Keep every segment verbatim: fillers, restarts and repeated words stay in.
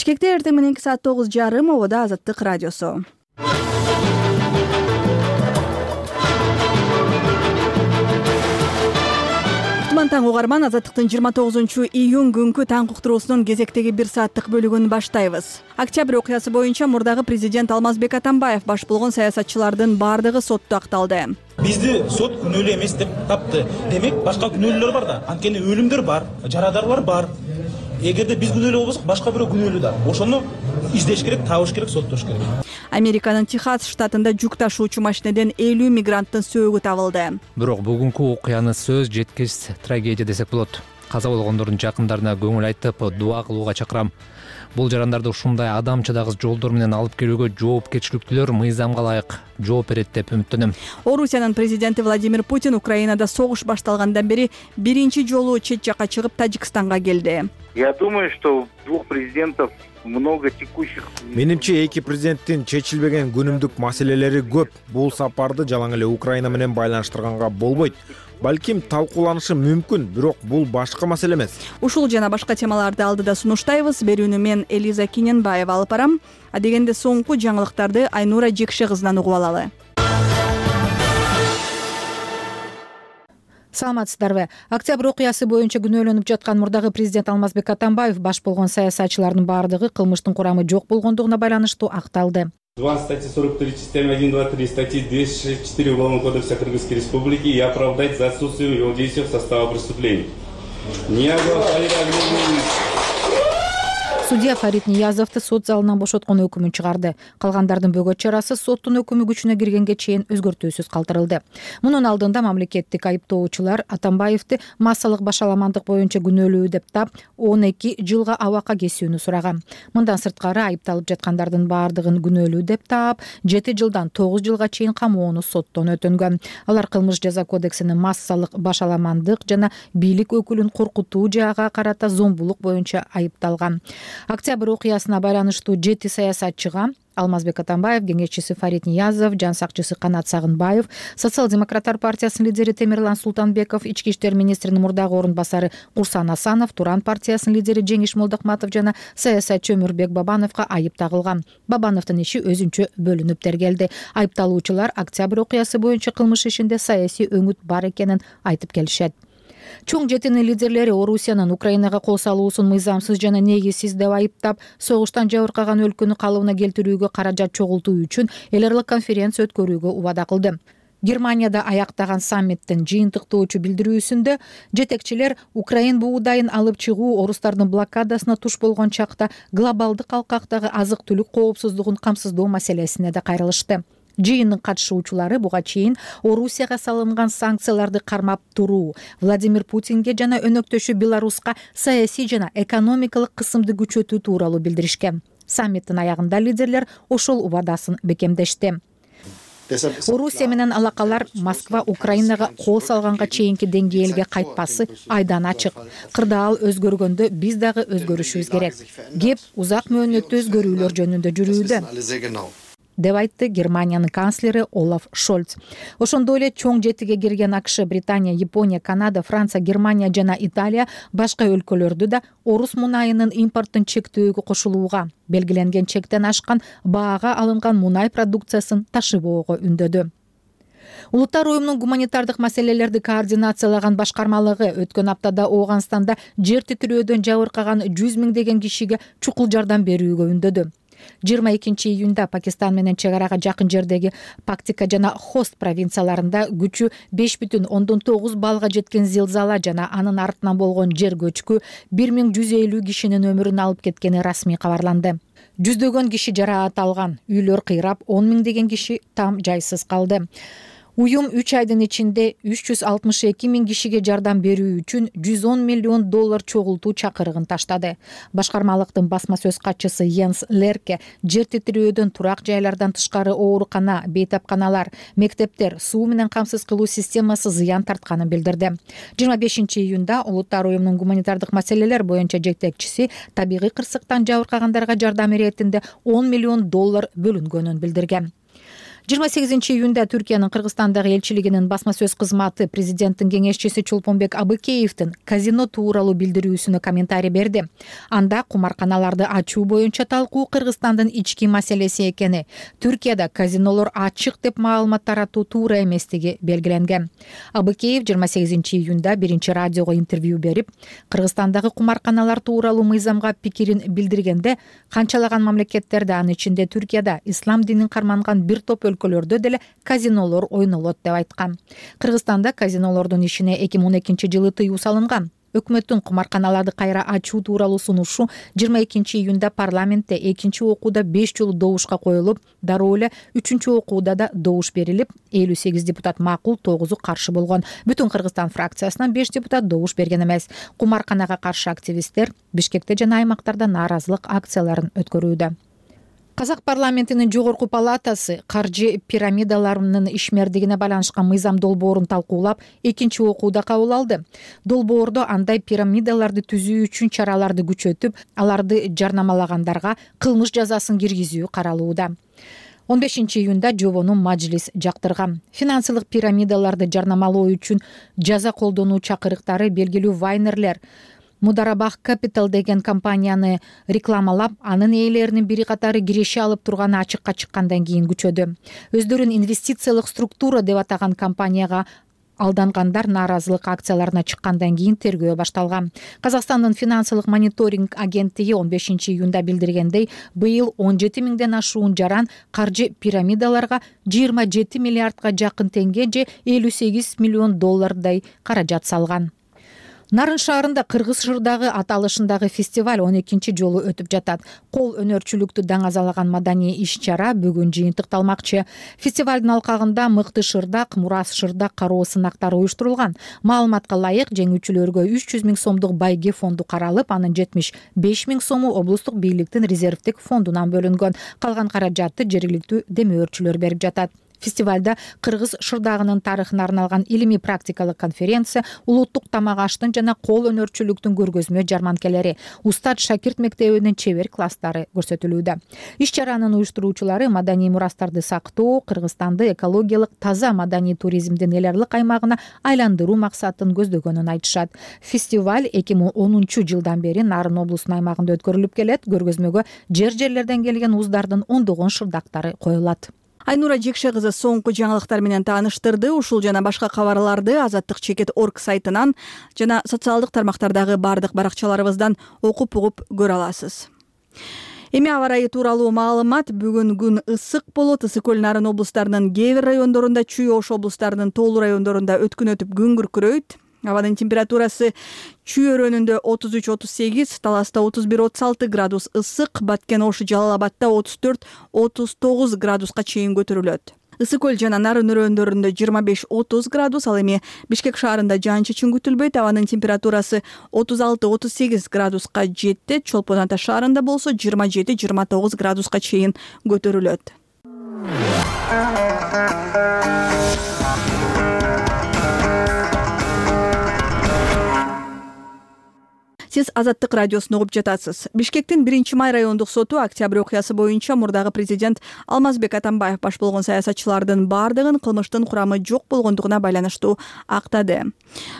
Бишкекте эртең мененки саат тогуз жарым обода Азаттык радиосу. Таң угарман, Азаттыктын жыйырма тогузунчу июнь күнкү таң уктуруусунун кезектеги бир сааттык бөлүгүн баштайбыз. Октябрь окуясы боюнча мурдагы президент Алмазбек Атамбаев баш болгон саясатчылардын баардыгы сотто акталды. Бизди сот күнөөлүү эмес деп тапты. Демек, башка күнөөлүүлөр бар да. Анткени өлүмдөр бар, жарадаарлар бар. Эгерде биз күнөөлүү болбосок, башка бирөө күнөөлүү да. Ошону издеш керек, табыш керек, соттош керек. Американын Техас штатында жүк ташуучу машинеден элүү мигранттын сөөгү табылды. Бирок бүгүнкү окуяны сөз жеткис трагедия десек болот. Каза болгондордун жакындарына көңүл айтып, дуа кылууга чакырам. Бул жарандарды ушундай адамчыдагыс жолдор менен алып келүүгө жоопкерчиликтүүлөр мыйзамга ылайык жооп берет деп үмүттөнөм. Орусиянын президенти Владимир Путин Украинада согуш башталгандан бери биринчи жолу чет жакка чыгып Тажикстанга келди. Я думаю, что двух президентов много текущих. Менимче эки президенттин чечилбеген күнүмдүк маселелери көп. Бул сапарды жалаң эле Украина менен байланыштырганга болбойт. Балким талкууланышы мүмкүн, бирок бул башка маселе эмес. Ушул жана башка темаларды алдыда сунуштайбыз. Берүүнү мен Элиза Киненбаева алып барам. А дегенде соңку жаңылыктарды Айнура Жекше кызынан угуп алалы. Саламатсыздарбы? Октябрь окуясы боюнча күнөөлөнүп жаткан мурдагы президент Алмазбек Атамбаев баш болгон саясатчылардын баардыгы кылмыштын курамы жок болгондугуна байланыштуу акталды. два статьи сорок три, частями один, два, три, статьи двести шестьдесят четыре Уголовного кодекса Кыргызской Республики и оправдать за отсутствием его действия в состава преступлений. Судья Фарид Ниязовду сот залынан бошоткон өкүмүн чыгарды. Калгандардын бөгөт чарасы соттун өкүмү күчүнө киргенге чейин өзгөртүүсүз калтырылды. Мунун алдында мамлекеттик айыптоочулар Атамбаевди массалык башаламандык боюнча күнөөлүү деп тап, он эки жылга абакка кесүүнү сураган. Мындан сырткары айыпталып жаткандардын баардыгын күнөөлүү деп тап, жети жылдан тогуз жылга чейин камоону соттон өтөнгөн. Алар кылмыш жаза кодексинин массалык башаламандык жана бийлик өкүлүн коркутуу жаага карата зомбулук боюнча айыпталган. Октябрь окуясына байланыштуу жети саясатчыга Алмазбек Атамбаев, кеңешчиси Фарид Ниязов, жан сакчысы Канат Сагынбаев, Социал-демократтар партиясынын лидери Темирлан Султанбеков, ички иштер министринин мурдагы орун басары Курсан Асанов, Туран партиясынын лидери Жеңиш Молдокматов жана саясатчы Өмүрбек Бабановго айып тагылган. Бабановдун иши өзүнчө бөлүнүп тергелди. Айыпталуучулар Октябрь окуясы боюнча кылмыш ишинде саясий өңүт бар экенин айтып келишет. Чоң жетинин лидерлери Орусиянын Украинага кол салуусун мыйзамсыз жана негизсиз деп айыптап, согуштан жабыркаган өлкөнү калыбына келтирүүгө каражат чогултуу үчүн эл аралык конференция өткөрүүгө убада кылды. Германияда аяктаган саммиттин жыйынтыктоочу билдирүүсүндө жетекчилер Украин буудайын алып чыгуу орустардын блокадасына туш болгон чакта глобалдык алкактагы азык-түлүк коопсуздугун камсыздоо маселесине да кайрылышты. Жыйындын катышуучулары буга чейин Орусияга салынган санкцияларды кармап туруу, Владимир Путинге жана өнөктөшү Беларуска саясий жана экономикалык кысымды күчөтүү тууралуу билдиришкен. Саммиттин аягында лидерлер ошол убадасын бекемдешти. Орусия менен алакалар Москва Украинага кол салганга чейинки деңгээлге кайтпасы айдан ачык. Кырдаал өзгөргөндө биз дагы өзгөрүшүбүз керек. Кеп узак мөөнөттүү өзгөрүүлөр жөнүндө жүрүүдө, деп айтты Германиянын канцлери Олаф Шольц. Ошондой эле чоң жетиге кирген АКШ, Британия, Япония, Канада, Франция, Германия жана Италия башка өлкөлөрдү да орус мунайынын импорттун чектөөгө кошулууга, белгиленген чектен ашкан баага алынган мунай продукциясын ташыбоого үндөдү. Улуттар уюмунун гуманитардык маселелерди координациялаган башкармалыгы өткөн аптада Ооганстанда жер титирөөдөн жабыркаган жүз миңдеген кишиге чукул жардам берүүгө үндөдү. жыйырма экинчи июнда Пакистан менен чек арага жакын жердеги Пактика жана Хост провинцияларында күчү беш бүтүн ондон тогуз балга жеткен зилзала жана анын артынан болгон жер көчкү бир миң жүз элүү кишинин өмүрүн алып кеткени расмий кабарланды. Жүздөгөн киши жараат алган, үйлөр кыйрап, он миңдеген киши там жайсыз калды. Уюм үч айдын ичинде үч жүз алтымыш эки миң кишиге жардам берүү үчүн жүз он миллион доллар чогултуу чакырыгын таштады. Башкармалыктын басма сөз катчысы Йенс Лерке жер титирөөдөн турак жайлардан тышкары оорукана, бейтапканалар, мектептер, суу менен камсыз кылуу системасы зыян тартканын билдирди. жыйырма бешинчи июнда Улуттар уюмунун гуманитардык маселелер боюнча жетекчиси табигый кырсыктан жабыркагандарга жардам иретинде он миллион доллар бөлүнгөнүн билдирген. жыйырма сегизинчи июнда Түркиянын Кыргызстандагы элчилигинин басма сөз кызматы президенттин кеңешчиси Чолпонбек Абыкеевдин казино тууралуу билдирүүсүнө комментарий берди. Анда кумарканаларды ачуу боюнча талкуу Кыргызстандын ички маселеси экени, Түркияда казинолор ачык деп маалымат таратуу туура эместиги белгиленген. Абыкеев жыйырма сегизинчи июнда биринчи радиого интервью берип, Кыргызстандагы кумарканалар тууралуу мыйзамга пикирин билдиргенде, канчалаган мамлекеттерде, анын ичинде Түркияда ислам динин карманган бир топ өлкөлөрдө деле казинолор ойнолот деп айткан. Кыргызстанда казинолордун ишине эки миң он экинчи жылы тыюу салынган. Өкмөттүн кумарканаларды кайра ачуу тууралуу сунушу жыйырма экинчи июнда парламентте экинчи окууда беш жолу добушка коюлуп, дароо эле үчүнчү окууда да добуш берилип, элүү сегиз депутат макул, тогузу каршы болгон. Бүтүн Кыргызстан фракциясынан беш депутат добуш берген эмес. Кумарканага каршы активисттер Бишкекте жана аймактарда нааразылык акцияларын өткөрүүдө. Казак парламентинин жогорку палатасы каржы пирамидаларынын ишмердигине байланышкан мыйзам долбоорун талкуулап, экинчи окууда кабыл алды. Долбоордо андай пирамидаларды түзүү үчүн чараларды күчөтүп, аларды жарнамалагандарга кылмыш жазасын киргизүү каралууда. он бешинчи июнда жобону мажлис жактырган. Финансылык пирамидаларды жарнамалоо үчүн жаза колдонуу чакырыктары белгилүү вайнерлер Мударабах Capital деген компанияны рекламалап, анын ээлеринин бири катары киреше алып турганы ачыкка чыккандан кийин күчөдү. Өздөрүн инвестициялык структура деп атаган компанияга алдангандар нааразылык акцияларына чыккандан кийин тергөө башталган. Казакстандын финансылык мониторинг агенттиги он бешинчи июнда билдиргендей, быйыл он жети миңден ашуун жаран каржы пирамидаларга жыйырма жети миллиардга жакын теңге же элүү сегиз миллион доллардай каражат салган. Нарын шаарында Кыргыз Шырдагы аталышындагы фестиваль он экинчи жолу өтүп жатат. Кол өнөрчүлүктү даңазалаган маданий иш-чара бүгүн жыйынтыкталмакчы. Фестивалдын алкагында мыкты шырдак, мурас шырдак кароо сынактары уюштурулган. Маалыматка ылайык, жеңүүчүлөргө үч жүз миң сомдук байге фонду каралып, анын жетимиш беш миң сому облустук бийликтин резервдик фондунан бөлүнгөн. Калган каражатты жергиликтүү демөөрчүлөр берип жатат. Фестивалда Кыргыз шырдагынын тарыхына арналган илимий практикалык конференция, улуттук тамак аштын жана кол өнөрчүлүктүн көргөзмө жарманкелери, Устат Шакирт мектебинин чебер класстары көрсөтүлүүдө. Иш-чаранын уюштуруучулары маданий мурастарды сактоо, Кыргызстанды экологиялык таза маданий туризмдин эл аралык аймагына айландыруу максатын көздөгөнүн айтышат. Фестиваль эки миң онунчу жылдан бери Нарын облусунун аймагында өткөрүлүп келет. Көргөзмөгө жер-жерлерден келген уздардын ондогон шырдактары коюлат. Айнура Жекше кызы соңку жаңылыктар менен тааныштырды. Ушул жана башка кабарларды азаттык чекит точка орг сайтынан жана социалдык тармактардагы бардык баракчаларыбыздан окуп угуп көрө аласыз. Эми аба ырайы тууралуу маалымат. Бүгүн күн ысык болот. Ысык көл Нарын облустарынын кээ бир райондорунда, Чүй Ош облустарынын тоолуу райондорунда өткүн өтүп күн күркүрөйт. Абанын температурасы Чүй өрөөнүндө отуз үч отуз сегиз, Таласта отуз бир отуз алты градус ысык, Баткен, Ош, Жалал Абадта отуз төрт отуз тогуз градуска чейин көтөрүлөт. Ысык көл жана Нарын өрөөндөрүндө жыйырма беш отуз градус, ал эми Бишкек шаарында жаан-чачын күтүлбөйт. Абанын температурасы отуз алты отуз сегиз градуска жетти. Чолпон Ата шаарында болсо жыйырма жети жыйырма тогуз градуска чейин көтөрүлөт. Сиз Азаттык радиосун угуп жатасыз. Бишкектин биринчи май райондук соту октябрь окуясы боюнча мурдагы президент Алмазбек Атамбаев баш болгон саясатчылардын бардыгын кылмыштын курамы жок болгондугуна байланыштуу актады.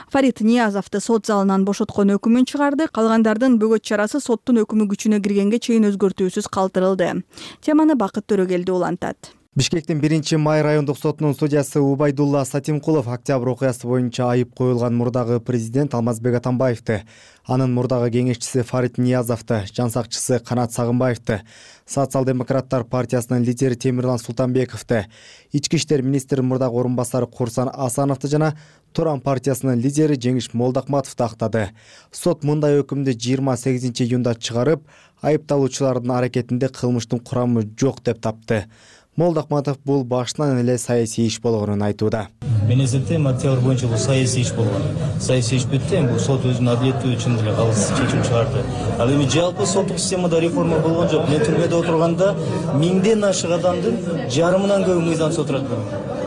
Фарид Ниязовду сот залынан бошоткон өкүмүн чыгарды. Калгандардын бөгөт чарасы соттун өкүмү күчүнө киргенге чейин өзгөртүүсүз калтырылды. Теманы Бакыт Төрөгелди улантат. Бишкектин биринчи май райондук сотунун судьясы Убайдулла Сатимкулов октябрь окуясы боюнча айып коюлган мурдагы президент Алмазбек Атамбаевди, анын мурдагы кеңешчиси Фарид Ниязовду, жан сакчысы Канат Сагынбаевди, Социал-демократтар партиясынын лидери Темирлан Султанбековду, ички иштер министринин мурдагы орун басары Курсан Асановду жана Туран партиясынын лидери Жеңиш Молдокматовду актады. Сот мындай өкүмдү жыйырма сегизинчи июнда чыгарып, айыпталуучулардын аракетинде кылмыштын курамы жок деп тапты. Молдокматов бул башынан эле саясий иш болгонун айтууда. Мен эсептейм, октябрь боюнча бул саясий иш болгон. Саясий иш бүттү, эми бул сот өзүнүн адилеттүү үчүн деле калыс чечим чыгарды. Ал эми жалпы соттук системада реформа болгон жок. Мен түрмөдө отурганда миңден ашык адамдын жарымынан көбү мыйзамсыз отурат.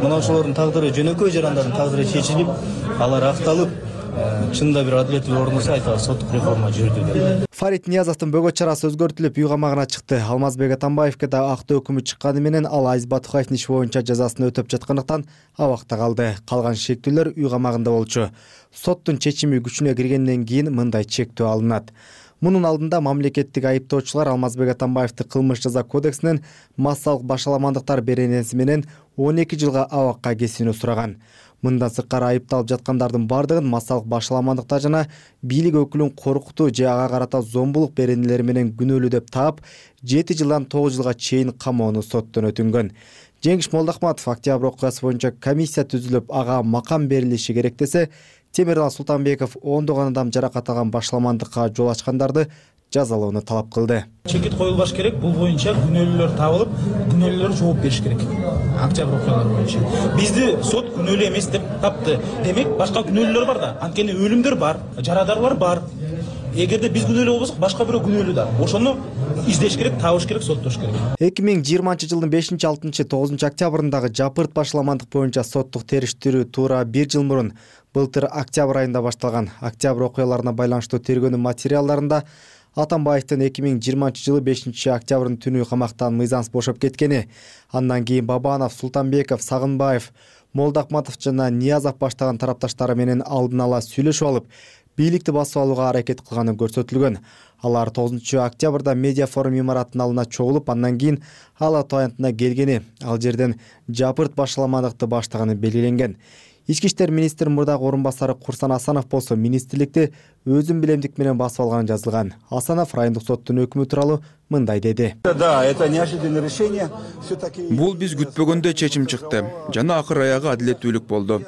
Мына ошолордун тагдыры, жөнөкөй жарандардын тагдыры чечилип, алар акталып, чынында бир адилеттүү орносо айталы соттук реформа жүрдү деп. Фарит Ниязовдун бөгөт чарасы өзгөртүлүп үй камагына чыкты. Алмазбек Атамбаевге да актоо өкүмү чыкканы менен ал Азиз Батукаевдин иши боюнча жазасын өтөп жаткандыктан абакта калды. Калган шектүүлөр үй камагында болчу. Соттун чечими күчүнө киргенден кийин мындай чектөө алынат. Мунун алдында мамлекеттик айыптоочулар Алмазбек Атамбаевди кылмыш жаза кодексинен массалык башаламандыктар беренеси менен он эки жылга абакка кесүүнү сураган. Мындан сырткары айыпталып жаткандардын бардыгын массалык башаламандыктар жана бийлик өкүлүн коркутуу же ага карата зомбулук беренелери менен күнөөлүү деп таап, жети жылдан тогуз жылга чейин камоону соттон өтүнгөн. Жеңиш Молдохматов октябрь окуясы боюнча комиссия түзүлүп, ага макам берилиши керек десе, Темирлан Султанбеков ондогон адам жаракат алган башаламандыкка жол ачкандарды жазалоону талап кылды. Чекит коюлбаш керек, бул боюнча күнөөлүүлөр табылып, күнөөлүүлөр жооп бериш керек. Октябрь окуялары боюнча бизди сот күнөөлүү эмес деп тапты. Демек, башка күнөөлүүлөр бар да. Анткени өлүмдөр бар, жарадарлар бар. Эгерде биз күнөөлүү болбосок, башка бирөө күнөөлүү да. Ошону издеш керек, табыш керек, соттош керек. эки миң жыйырманчы жылдын бешинчи, алтынчы, тогузунчу октябрындагы жапырт башаламандык боюнча соттук териштирүү туура бир жыл мурун былтыр октябрь айында башталган. Октябрь окуяларына байланыштуу тергөөнүн материалдарында Атамбаевдин эки миң жыйырманчы жылы бешинчи октябрдын түнү камактан мыйзамсыз бошоп кеткени, андан кийин Бабанов, Султанбеков, Сагынбаев, Молдохматов жана Ниязов баштаган тарапташтары менен алдын ала сүйлөшүп алып, бийликти басып алууга аракет кылганы көрсөтүлгөн. Алар тогузунчу октябрда медиа форум имараттын алдына чогулуп, андан кийин Ала Таянтына келгени, ал жерден жапырт башаламандыкты баштаганы белгиленген. Ички иштер министри мурдагы орун басары Курсан Асанов болсо министрликти өзүн билемдик менен басып алганы жазылган. Асанов райондук соттун өкүмү тууралуу мындай деди. Да, это неожиданное решение. Бул биз күтпөгөндө чечим чыкты. Жана акыр аягы адилеттүүлүк болду.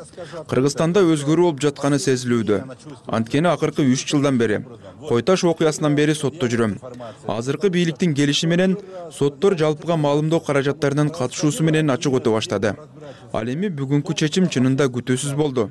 Кыргызстанда өзгөрүү болуп жатканы сезилүүдө. Анткени акыркы үч жылдан бери, Кой-Таш окуясынан бери сотто жүрөм. Азыркы бийликтин келиши менен соттор жалпыга маалымдоо каражаттарынын катышуусу менен ачык өтө баштады. Ал эми бүгүнкү чечим чынында күтүүсүз болду.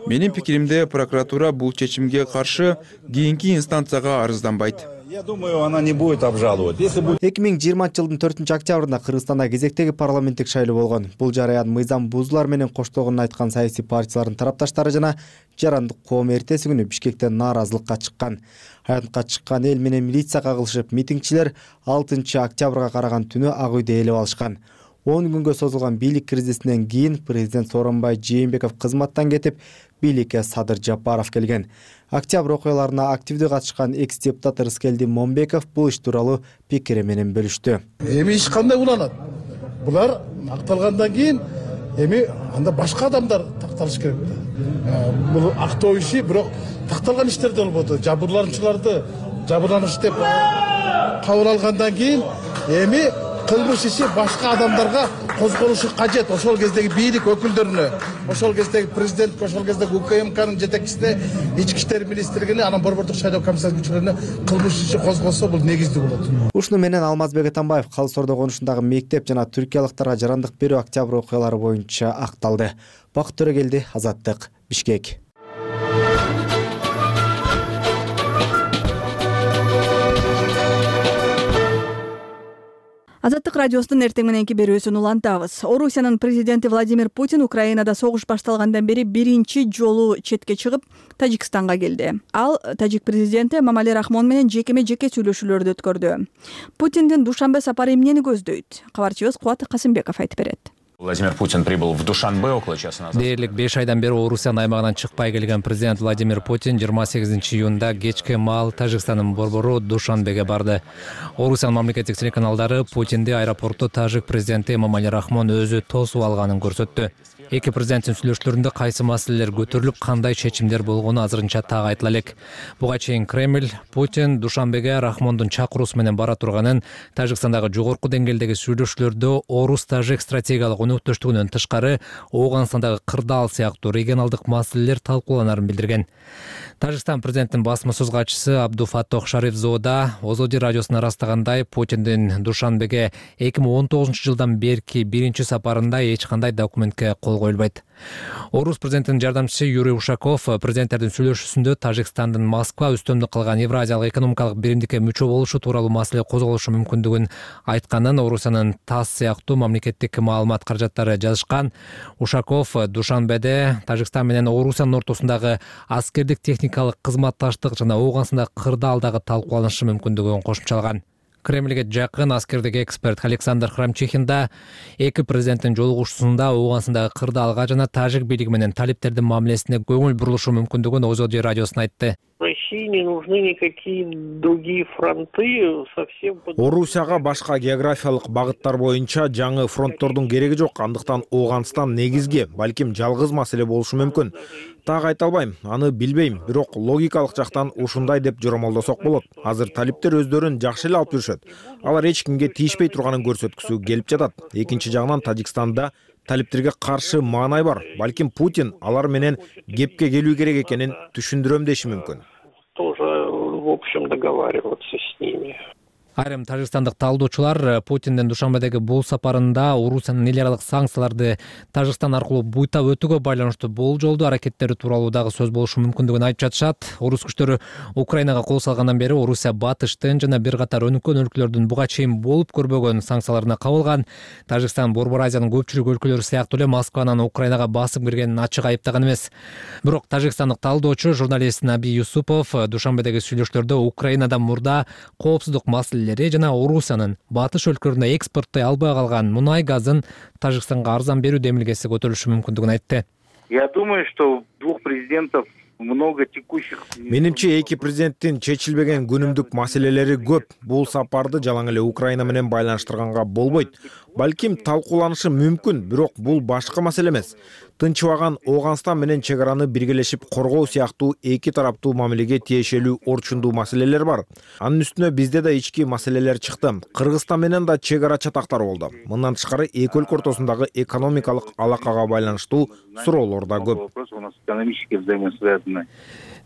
Менин пикиримде, прокуратура бул чечимге каршы кийинки инстанцияга арызданбайт. Я думаю, она не будет обжаловать. Если будет... эки миң жыйырманчы жылдын төртүнчү октябрында Кыргызстанда кезектеги парламенттик шайлоо болгон. Бул жараян мыйзам бузуулар менен коштолгонун айткан саясий партиялардын тарапташтары жана жарандык коом эртеси күнү Бишкекте нааразылыкка чыккан. Аянтка чыккан эл менен милиция кагылышып, митингчилер алтынчы октябрга караган түнү Ак үйдө ээлеп алышкан. он күнгө созулган бийлик кризисинен кийин президент Сооронбай Жээнбеков кызматтан кетип, бийликке Садыр Жапаров келген. Октябрь окуяларына активдүү катышкан экс-депутат Рыскелди Момбеков бул иш тууралуу пикири менен бөлүштү. Эми иш кандай уланат? Булар акталгандан кийин эми анда башка адамдар такталыш керек. Бул актоо иши бирок такталган иштер да болбоду. Жабырлануучуларды жабырланыш деп кабыл алгандан кийин эми кылмыш иши башка адамдарга козголушу кажет. Ошол кездеги бийлик өкүлдөрүнө, ошол кездеги президент, ошол кездеги УКМКнын жетекчисине, ички иштер министрлигине, анан борбордук шайлоо комиссиясынын күчүлөрүнө кылмыш иши козголсо бул негиздүү болот. Ушуну менен Алмазбек Атамбаев Калыс Ордо конушундагы мектеп жана түркиялыктарга жарандык берүү октябрь окуялары боюнча акталды. Бакыт Төрөгелди, Азаттык, Бишкек. Азаттык радиосунун эртең мененки берүүсүн улантабыз. Орусиянын президенти Владимир Путин Украинада согуш башталгандан бери биринчи жолу четке чыгып, Тажикстанга келди. Ал тажик президенти Эмомали Рахмон менен жекеме-жеке сүйлөшүүлөрдү өткөрдү. Путиндин Душанбе сапары эмнени көздөйт? Кабарчыбыз Кубат Касымбеков айтып берет. Владимир Путин прибыл в Душанбе около часа назад. Дээрлик беш айдан бери Орусиянын аймагынан чыкпай келген президент Владимир Путин жыйырма сегизинчи июнда кечке маал Тажикстандын борбору Душанбеге барды. Орусиянын мамлекеттик телеканалдары Путинди аэропортто тажик президенти Эмомали Рахмон өзү тосуп алганын көрсөттү. Эки президенттин сүйлөшүүлөрүндө кайсы маселелер көтөрүлүп, кандай чечимдер болгону азырынча так айтыла элек. Буга чейин Кремль Путин Душанбеге Рахмондун чакыруусу менен бара турганын, Тажикстандагы жогорку деңгээлдеги сүйлөшүүлөрдө орус-тажик стратегиялык өнөктөштүгүнөн тышкары Ооганстандагы кырдаал сыяктуу регионалдык маселелер талкууланарын билдирген. Тажикстан президентинин басма сөз катчысы Абдуфаттох Шарифзода Озоди радиосуна ырастагандай, Путиндин Душанбеге эки миң он тогузунчу жылдан берки биринчи сапарында эч кандай документке кол жол коюлбайт. Орус президентинин жардамчысы Юрий Ушаков президенттердин сүйлөшүүсүндө Тажикстандын Москва үстөмдүк кылган Евразиялык экономикалык биримдикке мүчө болушу тууралуу маселе козголушу мүмкүндүгүн айтканын Орусиянын ТАСС сыяктуу мамлекеттик маалымат каражаттары жазышкан. Ушаков Душанбеде Тажикстан менен Орусиянын ортосундагы аскердик техникалык кызматташтык жана Ооганстанда кырдаалдагы талкууланышы мүмкүндүгүн кошумчалаган. Кремльге жакын аскердик эксперт Александр Храмчихин да эки президенттин жолугушуусунда Ооганстандагы кырдаалга жана тажик бийлиги менен талиптердин мамилесине көңүл бурулушу мүмкүндүгүн ОЗОД радиосуна айтты. России не нужны никакие другие фронты совсем. Орусияга башка географиялык багыттар боюнча жаңы фронттордун кереги жок. Андыктан Ооганстан негизги, балким жалгыз маселе болушу мүмкүн. Так айта албайм, аны билбейм, бирок логикалык жактан ушундай деп жоромолдосок болот. Азыр талиптер өздөрүн жакшы эле алып жүрүшөт. Алар эч кимге тийишпей турганын көрсөткүсү келип жатат. Экинчи жагынан Тажикстанда талиптерге каршы маанай бар. Балким Путин алар менен кепке келүү керек экенин түшүндүрөм деши мүмкүн. Тоже, в общем, договариваться с ними. Айрым тажикстандык талдоочулар Путиндин Душанбедеги бул сапарында Орусиянын эл аралык санкцияларды Тажикстан аркылуу буйтап өтүүгө байланыштуу болжолдуу аракеттери тууралуу дагы сөз болушу мүмкүндүгүн айтып жатышат. Орус күчтөрү Украинага кол салгандан бери Орусия батыштын жана бир катар өнүккөн өлкөлөрдүн буга чейин болуп көрбөгөн санкцияларына кабылган. Тажикстан Борбор Азиянын көпчүлүк өлкөлөрү сыяктуу эле Москванын Украинага басып киргенин ачык айыптаган эмес. Бирок тажикстандык талдоочу журналист Наби Юсупов Душанбедеги сүйлөшүүлөрдө Украинадан мурда коопсуздук маселелери жана Орусиянын батыш өлкөлөрүнө экспорттой албай калган мунай газын Тажикстанга арзан берүү демилгеси көтөрүлүшү мүмкүндүгүн айтты. Я думаю, что двух президентов много текущих. Менимче эки президенттин чечилбеген күнүмдүк маселелери көп. Бул сапарды жалаң эле Украина менен байланыштырганга болбойт. Балким талкууланышы мүмкүн, бирок бул башка маселе эмес. Тынчыбаган Ооганстан менен чек араны биргелешип коргоо сыяктуу эки тараптуу мамилеге тиешелүү орчундуу маселелер бар. Анын үстүнө бизде да ички маселелер чыкты. Кыргызстан менен да чек ара чатактар болду. Мындан тышкары эки өлкө ортосундагы экономикалык алакага байланыштуу суроолор да көп.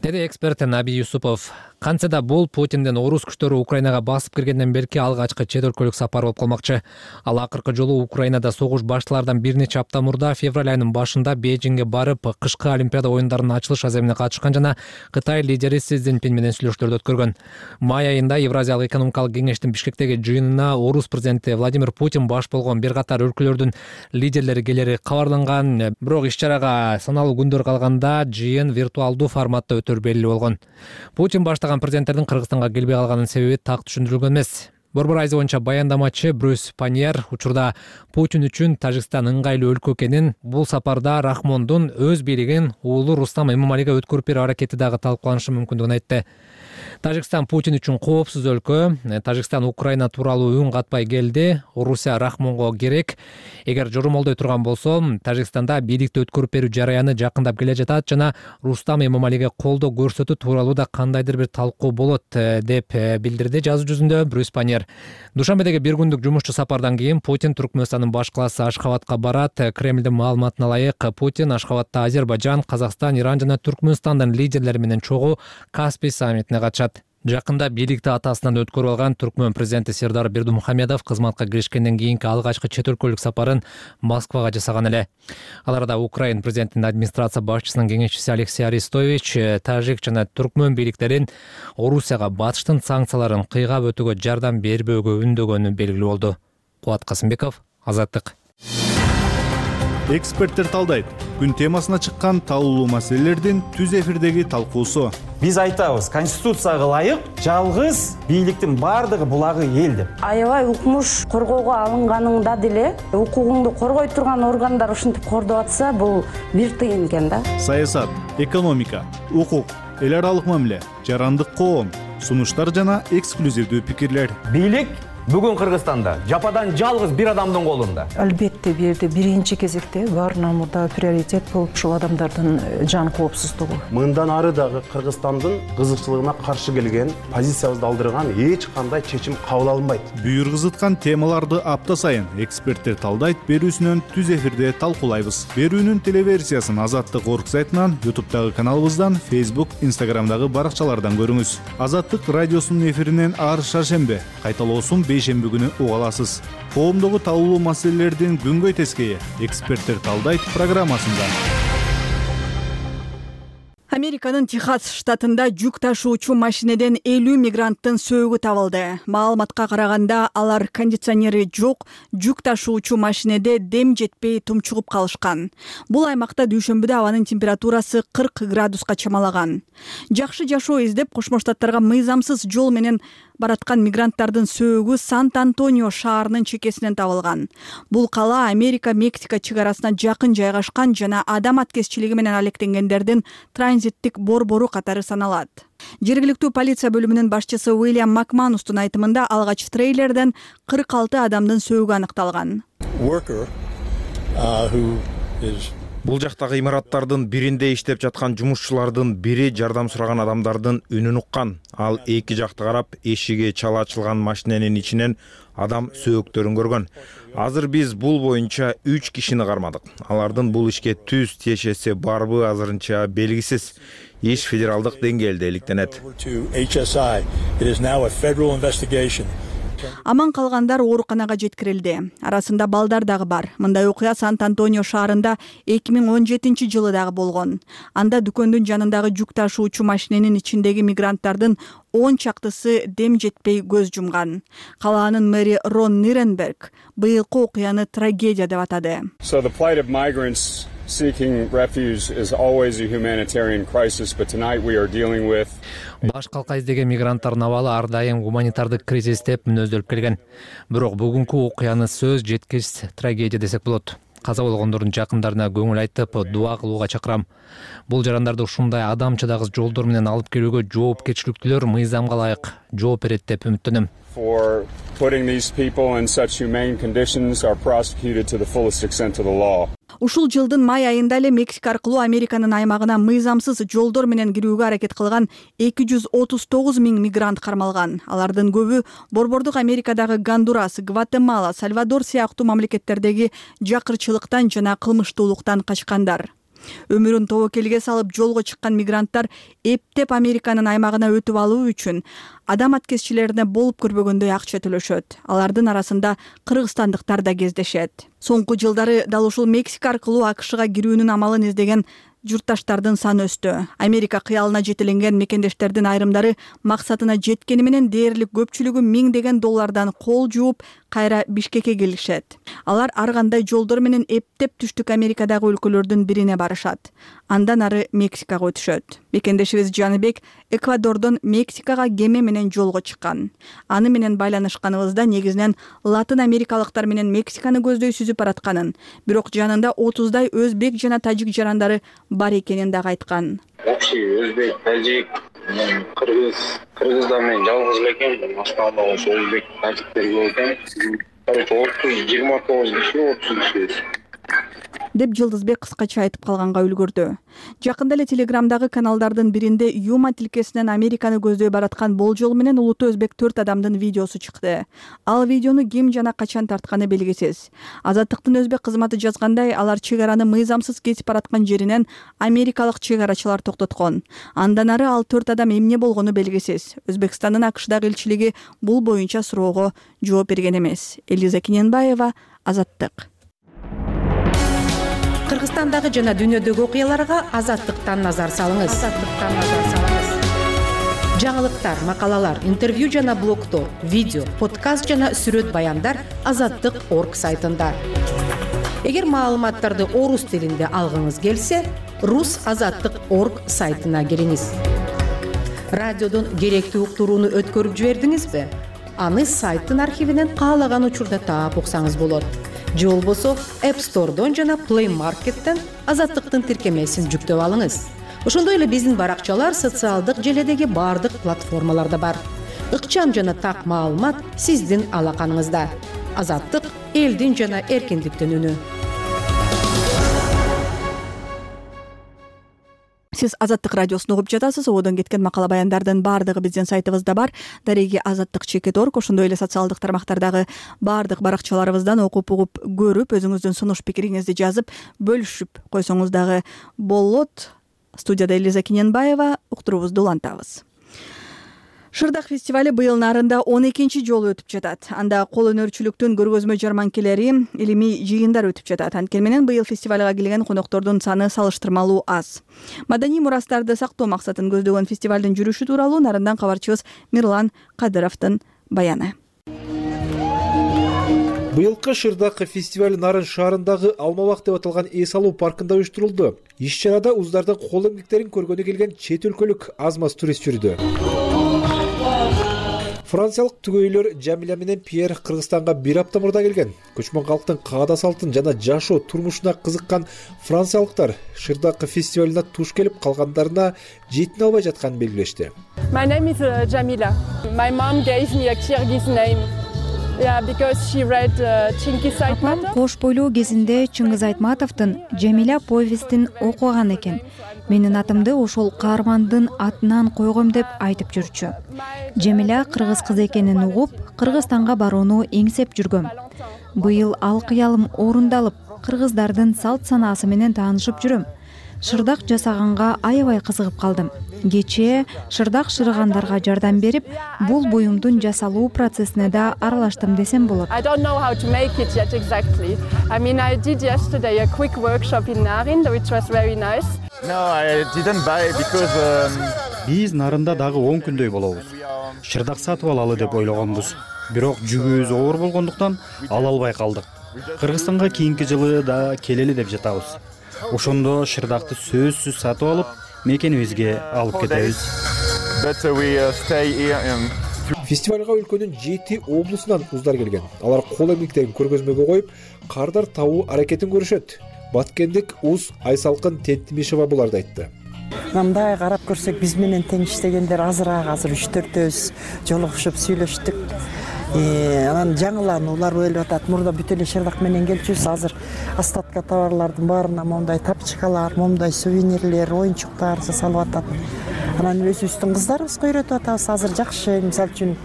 Деди эксперт Наби Юсупов. Кантсе да бул Путиндин орус күчтөрү Украинага басып киргенден берки алгачкы чет өлкөлүк сапар болуп калмакчы. Ал акыркы жолу Украинада согуш башталардан бир нече апта мурда февраль айынын башында Бейжиңге барып, кышкы Олимпиада оюндарынын ачылыш аземине катышкан жана Кытай лидери Си Цзиньпин менен сүйлөшүүлөрдү өткөргөн. Май айында Евразиялык экономикалык кеңештин Бишкектеги жыйынына орус президенти Владимир Путин баш болгон бир катар өлкөлөрдүн лидерлери келери кабарланган. Бирок иш-чарага саналуу күндөр калганда жыйын виртуалдуу форматта өтөр белгилүү болгон. Путин баштаган президенттердин Кыргызстанга келбей калганын себеби так түшүндүрүлгөн эмес. Борбор Азия боюнча баяндамачы Брюс Паньер учурда Путин үчүн Тажикстан ыңгайлуу өлкө экенин, бул сапарда Рахмондун өз бийлигин уулу Рустам Эмомалиге өткөрүп берүү аракети дагы талкууланышы мүмкүндүгүн айтты. Тажикстан Путин үчүн коопсуз өлкө. Тажикстан Украина тууралуу үн катпай келди. Орусия Рахмонго керек. Эгер жоромолдой турган болсо, Тажикстанда бийликти өткөрүп берүү жараяны жакындап келе жатат жана Рустам Эмомалиге колдоо көрсөтүү тууралуу да кандайдыр бир талкуу болот деп билдирди жазуу жүзүндө Брюс Паньер. Душанбедеги бир күндүк жумушчу сапардан кийин Путин Түркмөнстандын баш калаасы Ашхабадка барат. Кремлдин маалыматына ылайык, Путин Ашхабадта Азербайжан, Казакстан, Иран жана Түркмөнстандын лидерлери менен чогуу Каспий саммитине катышат. Жакында бийликти атасынан өткөрүп алган Түркмөн президенти Сердар Бердымухамедов кызматка киришкенден кийинки алгачкы чет өлкөлүк сапарын Москвага жасаган эле. Ал арада Украин президентинин администрация башчысынын кеңешчиси Алексей Арестович тажик жана түркмөн бийликтерин Орусияга батыштын санкцияларын кыйгап өтүүгө жардам бербөөгө үндөгөнү белгилүү болду. Кубат Касымбеков, Азаттык. Эксперттер талдайт. Күн темасына чыккан талуулуу маселелердин түз эфирдеги талкуусу. Биз айтабыз, конституцияга ылайык жалгыз бийликтин бардыгы булагы эл деп. Аябай укмуш коргоого алынганыңда деле укугуңду коргой турган органдар ушинтип кордоп атса, бул бир тыйын экен да. Саясат, экономика, укук, эл аралык мамиле, жарандык коом, сунуштар жана эксклюзивдүү пикирлер. Бийлик бүгүн Кыргызстанда жападан жалгыз бир адамдын колунда. Албетте бир жерде биринчи кезекте баарынан мурда приоритет болуп ушул адамдардын жан коопсуздугу. Мындан ары дагы Кыргызстандын кызыкчылыгына каршы келген, позициябызды алдырган эч кандай чечим кабыл алынбайт. Бүйүр кызыткан темаларды апта сайын эксперттер талдайт берүүсүнөн түз эфирде талкуулайбыз. Берүүнүн телеверсиясын Азаттык орг сайтынан, ютубтагы каналыбыздан, Facebook, Instagramдагы баракчалардан көрүңүз. Азаттык радиосунун эфиринен ар шаршембе кайталоосун бейшемби күнү уга аласыз. Коомдогу талуулуу маселелердин күнгөй тескейи эксперттер талдайт программасында. Американын Техас штатында жүк ташуучу машинеден элүү мигранттын сөөгү табылды. Маалыматка караганда алар кондиционери жок жүк ташуучу машинеде дем жетпей тумчугуп калышкан. Бул аймакта дүйшөмбүдө абанын температурасы кырк градуска чамалаган. Жакшы жашоо издеп Кошмо Штаттарга мыйзамсыз жол менен бараткан мигранттардын сөөгү Сант-Антонио шаарынын чекесинен табылган. Бул кала Америка-Мексика чек арасына жакын жайгашкан жана адам аткезчилиги менен алектенгендердин транзиттик борбору катары саналат. Жергиликтүү полиция бөлүмүнүн башчысы Уильям Макманустун айтымында алгач трейлерден кырк алты адамдын сөөгү аныкталган. Бул жактагы имараттардын биринде иштеп жаткан жумушчулардын бири жардам сураган адамдардын үнүн уккан. Ал эки жакты карап, эшиги чала ачылган машиненин ичинен адам сөөктөрүн көргөн. Азыр биз бул боюнча үч кишини кармадык. Алардын бул ишке түз тиешеси барбы азырынча белгисиз. Иш федералдык деңгээлде иликтенет. Аман калгандар ооруканага жеткирилди. Арасында балдар дагы бар. Мындай окуя Сант-Антонио шаарында эки миң он жетинчи жылы дагы болгон. Анда дүкөндүн жанындагы жүк ташуучу машиненин ичиндеги мигранттардын он чактысы дем жетпей көз жумган. Калаанын мэри Рон Ниренберг быйылкы окуяны трагедия деп атады. Seeking refuge is always a humanitarian crisis, but tonight we are dealing with Баш калка издеген мигранттардын абалы ар дайым гуманитардык кризис деп мүнөздөлүп келген. Бирок бүгүнкү окуяны сөз жеткис трагедия десек болот. Каза болгондордун жакындарына көңүл айтып, дуа кылууга чакырам. Бул жарандарды ушундай адамчыдагы жолдор менен алып келүүгө жоопкерчиликтүүлөр мыйзамга ылайык жооп берет деп үмүттөнөм. For putting these people in such humane conditions are prosecuted to the fullest extent of the law. Ушул жылдын май айында эле Мексика аркылуу Американын аймагына мыйзамсыз жолдор менен кирүүгө аракет кылган эки жүз отуз тогуз миң мигрант кармалган. Алардын көбү борбордук Америкадагы Гондурас, Гватемала, Сальвадор сыяктуу мамлекеттердеги жакырчылыктан жана кылмыштуулуктан качкандар. Өмүрүн тобокелге салып жолго чыккан мигранттар эптеп Американын аймагына өтүп алуу үчүн адам аткезчилерине болуп көрбөгөндөй акча төлөшөт. Алардын арасында кыргызстандыктар да кездешет. Соңку жылдары дал ушул Мексика аркылуу АКШга кирүүнүн амалын издеген журтташтардын саны өстү. Америка кыялына жетеленген мекендештердин айрымдары максатына жеткени менен дээрлик көпчүлүгү миңдеген доллардан кол жууп кайра Бишкекке келишет. Алар ар кандай жолдор менен эптеп түштүк Америкадагы өлкөлөрдүн бирине барышат. Андан ары Мексикага өтүшөт. Мекендешибиз Жаныбек Эквадордон Мексикага кеме менен жолго чыккан. Аны менен байланышканыбызда негизинен Латын Америкалыктар менен Мексиканы көздөй сүзүп баратканын, бирок жанында отуздай өзбек жана тажик жарандары бар экенин дагы айткан. Общий өзбек, тажик, кыргыз, кыргыздар менен жалгыз элекем, башка ошо өзбек, тажиктер көп экен. Короче, отуз жыйырма тогуз киши, отуз киши деп Жылдызбек кыскача айтып калганга үлгүрдү. Жакында эле Телеграмдагы каналдардын биринде Юма тилкесинен Американы көздөй бараткан болжол менен улуттуу өзбек төрт адамдын видеосу чыкты. Ал видеону ким жана качан тартканы белгисиз. Азаттыктын өзбек кызматы жазгандай, алар чек араны мыйзамсыз кетип бараткан жеринен америкалык чек арачылар токтоткон. Андан ары ал төрт адам эмне болгону белгисиз. Өзбекстандын АКШдагы элчилиги бул боюнча суроого жооп берген эмес. Элиза Киненбаева, Азаттык. Кыргызстандагы жана дүйнөдөгү окуяларга Азаттыктан назар салыңыз. Азаттыктан назар салыңыз. Жаңылыктар, макалалар, интервью жана блогтор, видео, подкаст жана сүрөт баяндар азаттык точка орг сайтында. Эгер маалыматтарды орус тилинде алгыңыз келсе, рус азаттык точка орг сайтына кириңиз. Радиодон керектүү уктурууну өткөрүп жибердиңизби? Аны сайттын архивинен каалаган учурда таап уксаңыз болот. Же болбосо App Store'дон жана Play Market'тен Азаттыктын тиркемесин жүктөп алыңыз. Ошондой эле биздин баракчалар социалдык желедеги бардык платформаларда бар. Ыкчам жана так маалымат сиздин алаканыңызда. Азаттык элдин жана эркиндиктин үнү. Сиз Азаттык радиосун угуп жатасыз. Одон кеткен макала баяндардын баардыгы биздин сайтыбызда бар. Дареги азаттык чекит точка орг, ошондой эле социалдык тармактардагы баардык баракчаларыбыздан окуп угуп көрүп, өзүңүздүн сунуш пикириңизди жазып, бөлүшүп койсоңуз дагы болот. Студияда Элиза Киненбаева, уктуруубузду улантабыз. Шырдак фестивали быйыл нарында он экинчи жолу өтүп жатат. Анда кол өнөрчүлүктүн көргөзмө жарманкелери, илимий жыйындар өтүп жатат. Анткени менен быйыл фестивалга келген коноктордун саны салыштырмалуу аз. Маданий мурастарды сактоо максатын көздөгөн фестивалдын жүрүшү тууралуу нарындан кабарчыбыз Мирлан Кадыровдун баяны. Быйылкы Шырдак фестиваль Нарын шаарындагы Алмабак деп аталган эс алуу паркында уюштурулду. Иш-чарада уздардын кол эмгектерин көргөнү келген чет өлкөлүк аз-маз турист жүрдү. Франциялык түгөйлөр Жамиля менен Пьер Кыргызстанга бир апта мурда келген. Көчмөн калктын каада салтын жана жашоо турмушуна кызыккан франциялыктар Шырдак фестивалына туш келип калгандарына жетине албай жатканын белгилешти. My name is uh, Jamila. My mom gave me a Kyrgyz name. Yeah, because she read uh, Чингиз Айтматов. Кош бойлоо кезинде Чыңгыз Айтматовдун Жамиля повестин окуган экен. Менин атымды ошол каармандын атынан койгом деп айтып жүрчү. Жамиля кыргыз кыз экенин угуп, Кыргызстанга барууну эңсеп жүргөм. Быйыл ал кыялым орундалып, кыргыздардын салт санаасы менен таанышып жүрөм. Шырдак жасаганга аябай кызыгып калдым. Кечээ шырдак шырыгандарга жардам берип, бул буюмдун жасалуу процессине да аралаштым десем болот. I don't know how to make it yet exactly. I mean, I did yesterday a quick workshop in Narin, which was very nice. No, I didn't buy because биз Нарында дагы он күндөй болобуз. Шырдак сатып алалы деп ойлогонбуз. Бирок жүгүбүз оор болгондуктан ала албай калдык. Кыргызстанга кийинки жылы да келели деп жатабыз. Ошондо шырдакты сөзсүз сатып алып, мекенибизге алып кетебиз. Фестивалга өлкөнүн жети облусунан уздар келген. Алар кол эмгектерин көргөзмөгө коюп, кардар табуу аракетин көрүшөт. Баткендик Уз Айсалкын Тентимишева буларды айтты. Мындай карап көрсөк, биз менен тең иштегендер азыраак, азыр үч төртөөбүз жолугушуп сүйлөштүк. Анан жаңылануулар болуп атат. Мурда бүт эле шырдак менен келчүбүз. Азыр остатка товарлардын баарына мондай тапчыкалар, мондай сувенирлер, оюнчуктар жасалып атат. Анан өзүбүздүн кыздарыбызга үйрөтүп атабыз. Азыр жакшы, мисалы үчүн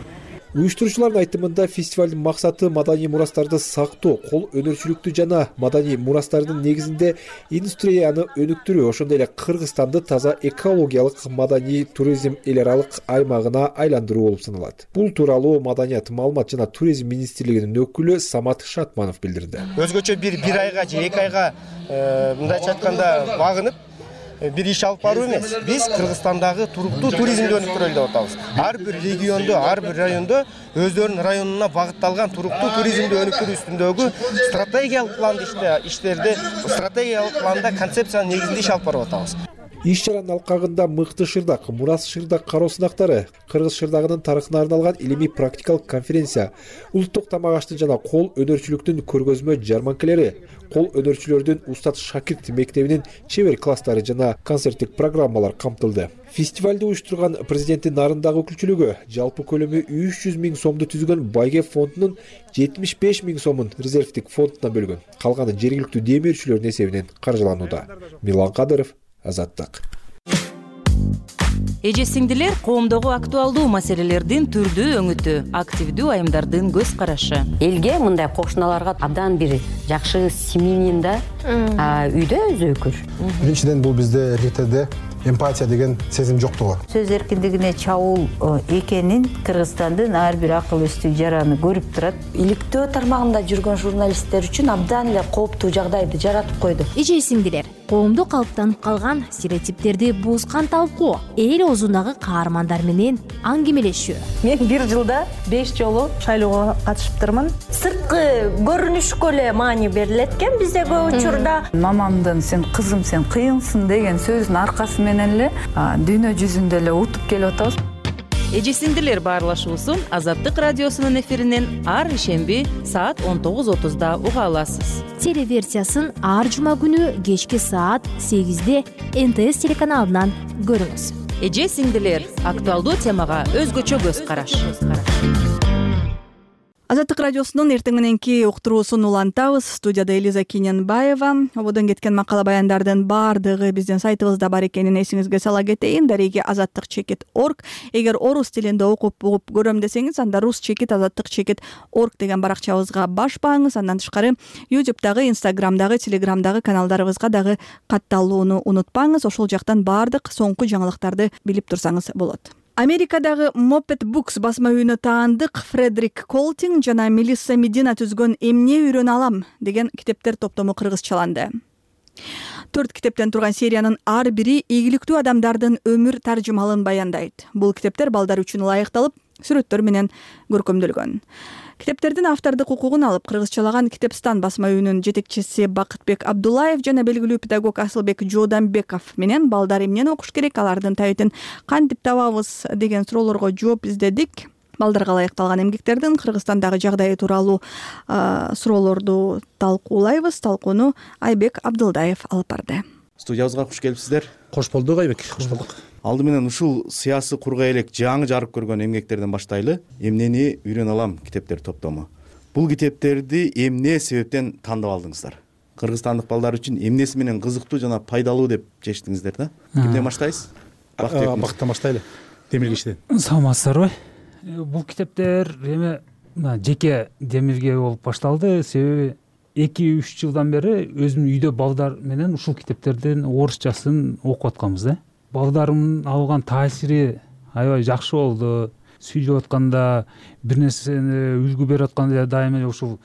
уюштуруучулардын айтымында фестивалдын максаты маданий мурастарды сактоо, кол өнөрчүлүктү жана маданий мурастардын негизинде индустрияны өнүктүрүү, ошондой эле Кыргызстанды таза экологиялык маданий туризм эл аралык аймагына айландыруу болуп саналат. Бул тууралуу Маданият, маалымат жана туризм министрлигинин өкүлү Самат Шатманов билдирди. Өзгөчө бир бир айга же эки айга мындайча айтканда багынып бир иш алып баруу эмес. Биз Кыргызстандагы туруктуу туризмди өнүктүрөлү деп атабыз. Ар бир региондо, ар бир райондо өздөрүнүн районуна багытталган туруктуу туризмди өнүктүрүү үстүндөгү стратегиялык планды иштерди, стратегиялык планда концепциянын негизинде иш алып барып атабыз. Иш-чаранын алкагында мыкты шырдак, мурас шырдак кароо сынактары, кыргыз шырдагынын тарыхына арналган илимий практикалык конференция, улуттук тамак ашты жана кол өнөрчүлүктүн көргөзмө жарманкелери, кол өнөрчүлөрдүн устат шакирт мектебинин чебер класстары жана концерттик программалар камтылды. Фестивалды уюштурган президенттин Нарындагы өкүлчүлүгү жалпы көлөмү үч жүз миң сомду түзгөн Байгеп фондунун жетимиш беш миң сомун резервдик фондуна бөлгөн. Калганы жергиликтүү демирчүлөрдүн эсебинен каржыланууда. Мирлан Кадыров, Азаттык. Эже сиңдилер, коомдогу актуалдуу маселелердин түрдүү өңүтү, активдүү айымдардын көз карашы. Элге мындай кошуналарга абдан бир жакшы семьянин да үйдө өзү өкүр. Биринчиден бул бизде РТде эмпатия деген сезим жоктугу. Сөз эркиндигине чабуул экенин Кыргызстандын ар бир акыл эстүү жараны көрүп турат. Иликтөө тармагында жүргөн журналисттер үчүн абдан эле кооптуу жагдайды жаратып койду. Эже сиңдилер, коомдо калыптанып калган стереотиптерди бузган талкуу, эл оозундагы каармандар менен аңгемелешүү. Мен бир жылда беш жолу шайлоого катышыптырмын. Сырткы көрүнүшкө эле маани берилет экен бизде көп учурда. Мамамдын "сен кызым, сен кыйынсың" деген сөзүнүн аркасы менен эле дүйнө жүзүндө эле утуп келип атабыз. Эже сиңдилер баарлашуусун Азаттык радиосунун эфиринен ар ишемби саат он тогуз отузда уга аласыз. Телеверсиясын ар жума күнү кечки саат сегизде эн тэ эс телеканалынан көрүңүз. Эже сиңдилер, актуалдуу темага өзгөчө көз караш. Азаттык радиосунун эртең мененки уктуруусун улантабыз. Студияда Элиза Киненбаева. Ободон кеткен макала баяндардын баардыгы биздин сайтыбызда бар экенин эсиңизге сала кетейин. Дареги азаттык чекит орг. Эгер орус тилинде окуп угуп көрөм десеңиз, анда рус чекит азаттык чекит орг деген баракчабызга баш бааңыз. Андан тышкары YouTube'дагы, Instagram'дагы, Telegram'дагы каналдарыбызга дагы катталууну унутпаңыз. Ошол жактан баардык соңку жаңылыктарды билип турсаңыз болот. Америкадагы Moped Books басма үйүнө таандык Фредерик Колтинг жана Мелисса Медина түзгөн «Эмне үйрөнө алам» деген китептер топтому кыргызчаланды. Төрт китептен турган сериянын ар бири ийгиликтүү адамдардын өмүр таржымалын баяндайт. Бул китептер балдар үчүн ылайыкталып, сүрөттөр менен көркөмдөлгөн. Китептердин автордук укугун алып кыргызчалаган Китепстан басма үйүнүн жетекчиси Бакытбек Абдуллаев жана белгилүү педагог Асылбек Жооданбеков менен балдар эмнени окуш керек, алардын табитин кантип табабыз деген суроолорго жооп издедик. Балдарга ылайыкталган эмгектердин Кыргызстандагы жагдайы тууралуу суроолорду талкуулайбыз. Талкууну Айбек Абдылдаев алып барды. Студиябызга куш келипсиздер. Кош болдук, Айбек. Кош болдук. Алды менен ушул сыясы курга элек жаңы жарык көргөн эмгектерден баштайлы. Эмнени үйрөнө алам китептер топтому. Бул китептерди эмне себептен тандап алдыңыздар? Кыргызстандык балдар үчүн эмнеси менен кызыктуу жана пайдалуу деп чечтиңиздер да? Кимден баштайсыз? Бактан баштайлы. Демилгичтен. Саламатсыздарбы? Бул китептер эме жеке демилге болуп башталды. Себеби эки үч жылдан бери өзүм үйдө балдар менен ушул китептердин орусчасын окуп атканбыз да. Балдарымдын алган таасири аябай жакшы болду. Сүйлөп атканда, бир нерсени үлгү берип атканда дайыма ушул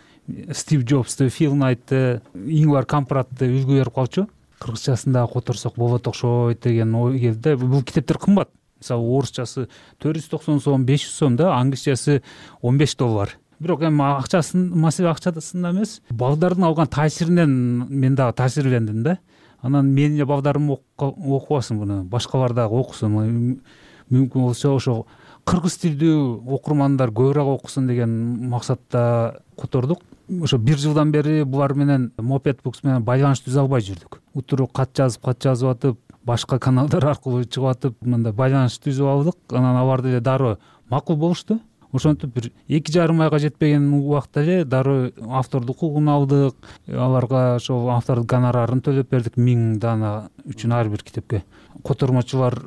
Стив Джобсты, Фил Найтты, Ингвар Кампратты үлгү берип калчу. Кыргызчасында которсок болот окшойт деген ой келди. Бул китептер кымбат. Мисалы орусчасы төрт жүз токсон сом, беш жүз сом да, англисчасы он беш доллар. Бирок эми акчасын, маселе акчасында эмес, балдардын алган таасиринен мен дагы таасирлендим да. Анан менин балдарым окубасын буну, башкалар дагы окусун. Мүмкүн болсо ошо кыргыз тилдүү окурмандар көбүрөөк окусун деген максатта котордук. Ошо бир жылдан бери булар менен Moped Books менен байланыш түзө албай жүрдүк. Утуру кат жазып, кат жазып атып, башка каналдар аркылуу чыгып атып, мындай байланыш түзүп алдык. Анан алар деле дароо макул болушту. Ошентип бир эки жарым айга жетпеген убакта эле дароо автордук укугун алдык. Аларга ошол автордук гонорарын төлөп бердик миң дана үчүн ар бир китепке. Котормочулар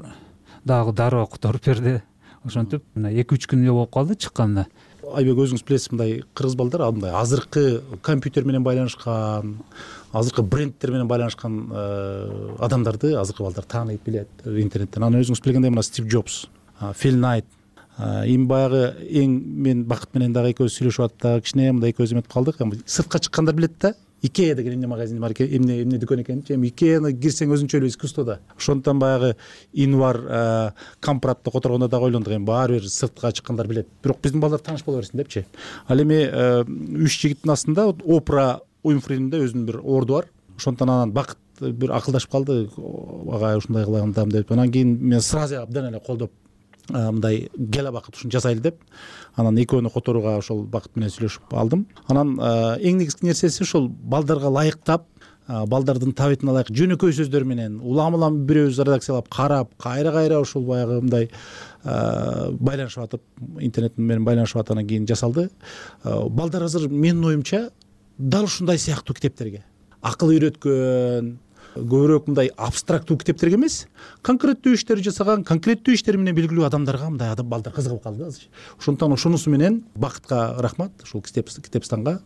дагы дароо которуп берди. Ошентип мына эки үч күн эле болуп калды чыкканына. Айбек, өзүңүз билесиз, мындай кыргыз балдар мындай азыркы компьютер менен байланышкан, азыркы брендтер менен байланышкан адамдарды азыркы балдар тааныйт, билет интернеттен. Анан өзүңүз билгендей мына Стив Джобс, Фил Найт, эми баягы эң мен Бакыт менен дагы экөөбүз сүйлөшүп аттык, кичине мындай экөөбүз эметип калдык. Сыртка чыккандар билет да. Икея деген эмне магазин бар экен, эмне эмне дүкөн экен. Эми Икеяны кирсең өзүнчө эле искусство да. Ошондон баягы Инвар Кампратты которгондо дагы ойлондук, эми баары бир сыртка чыккандар билет. Бирок биздин балдар тааныш боло берсин депчи. Ал эми үч жигиттин астында Опра Уинфридің да өзүнүн бир орду бар. Ошондон анан Бакыт бир акылдашып калды, ага ушундай кылагандам деп. Анан кийин мен сразу абдан эле колдоп мындай кел Бакыт ушуну жасайлы деп. Анан экөөнү которууга ошол Бакыт менен сүйлөшүп алдым. Анан эң негизги нерсеси ошол балдарга ылайыктап, балдардын табитине ылайык жөнөкөй сөздөр менен улам-улам бирөөбүз редакциялап карап, кайра-кайра ошол баягы мындай байланышып атып, интернет менен байланышып аткандан кийин жасалды. Балдар азыр менин оюмча дал ушундай сыяктуу китептерге, акыл үйрөткөн, көбүрөөк мындай абстрактуу китептерге эмес, конкреттүү иштер жасаган, конкреттүү иштери менен белгилүү адамдарга мындай адам балдар кызыгып калды азыр. Ошондон ошонусу менен Бакытка рахмат, ушул Китепстанга.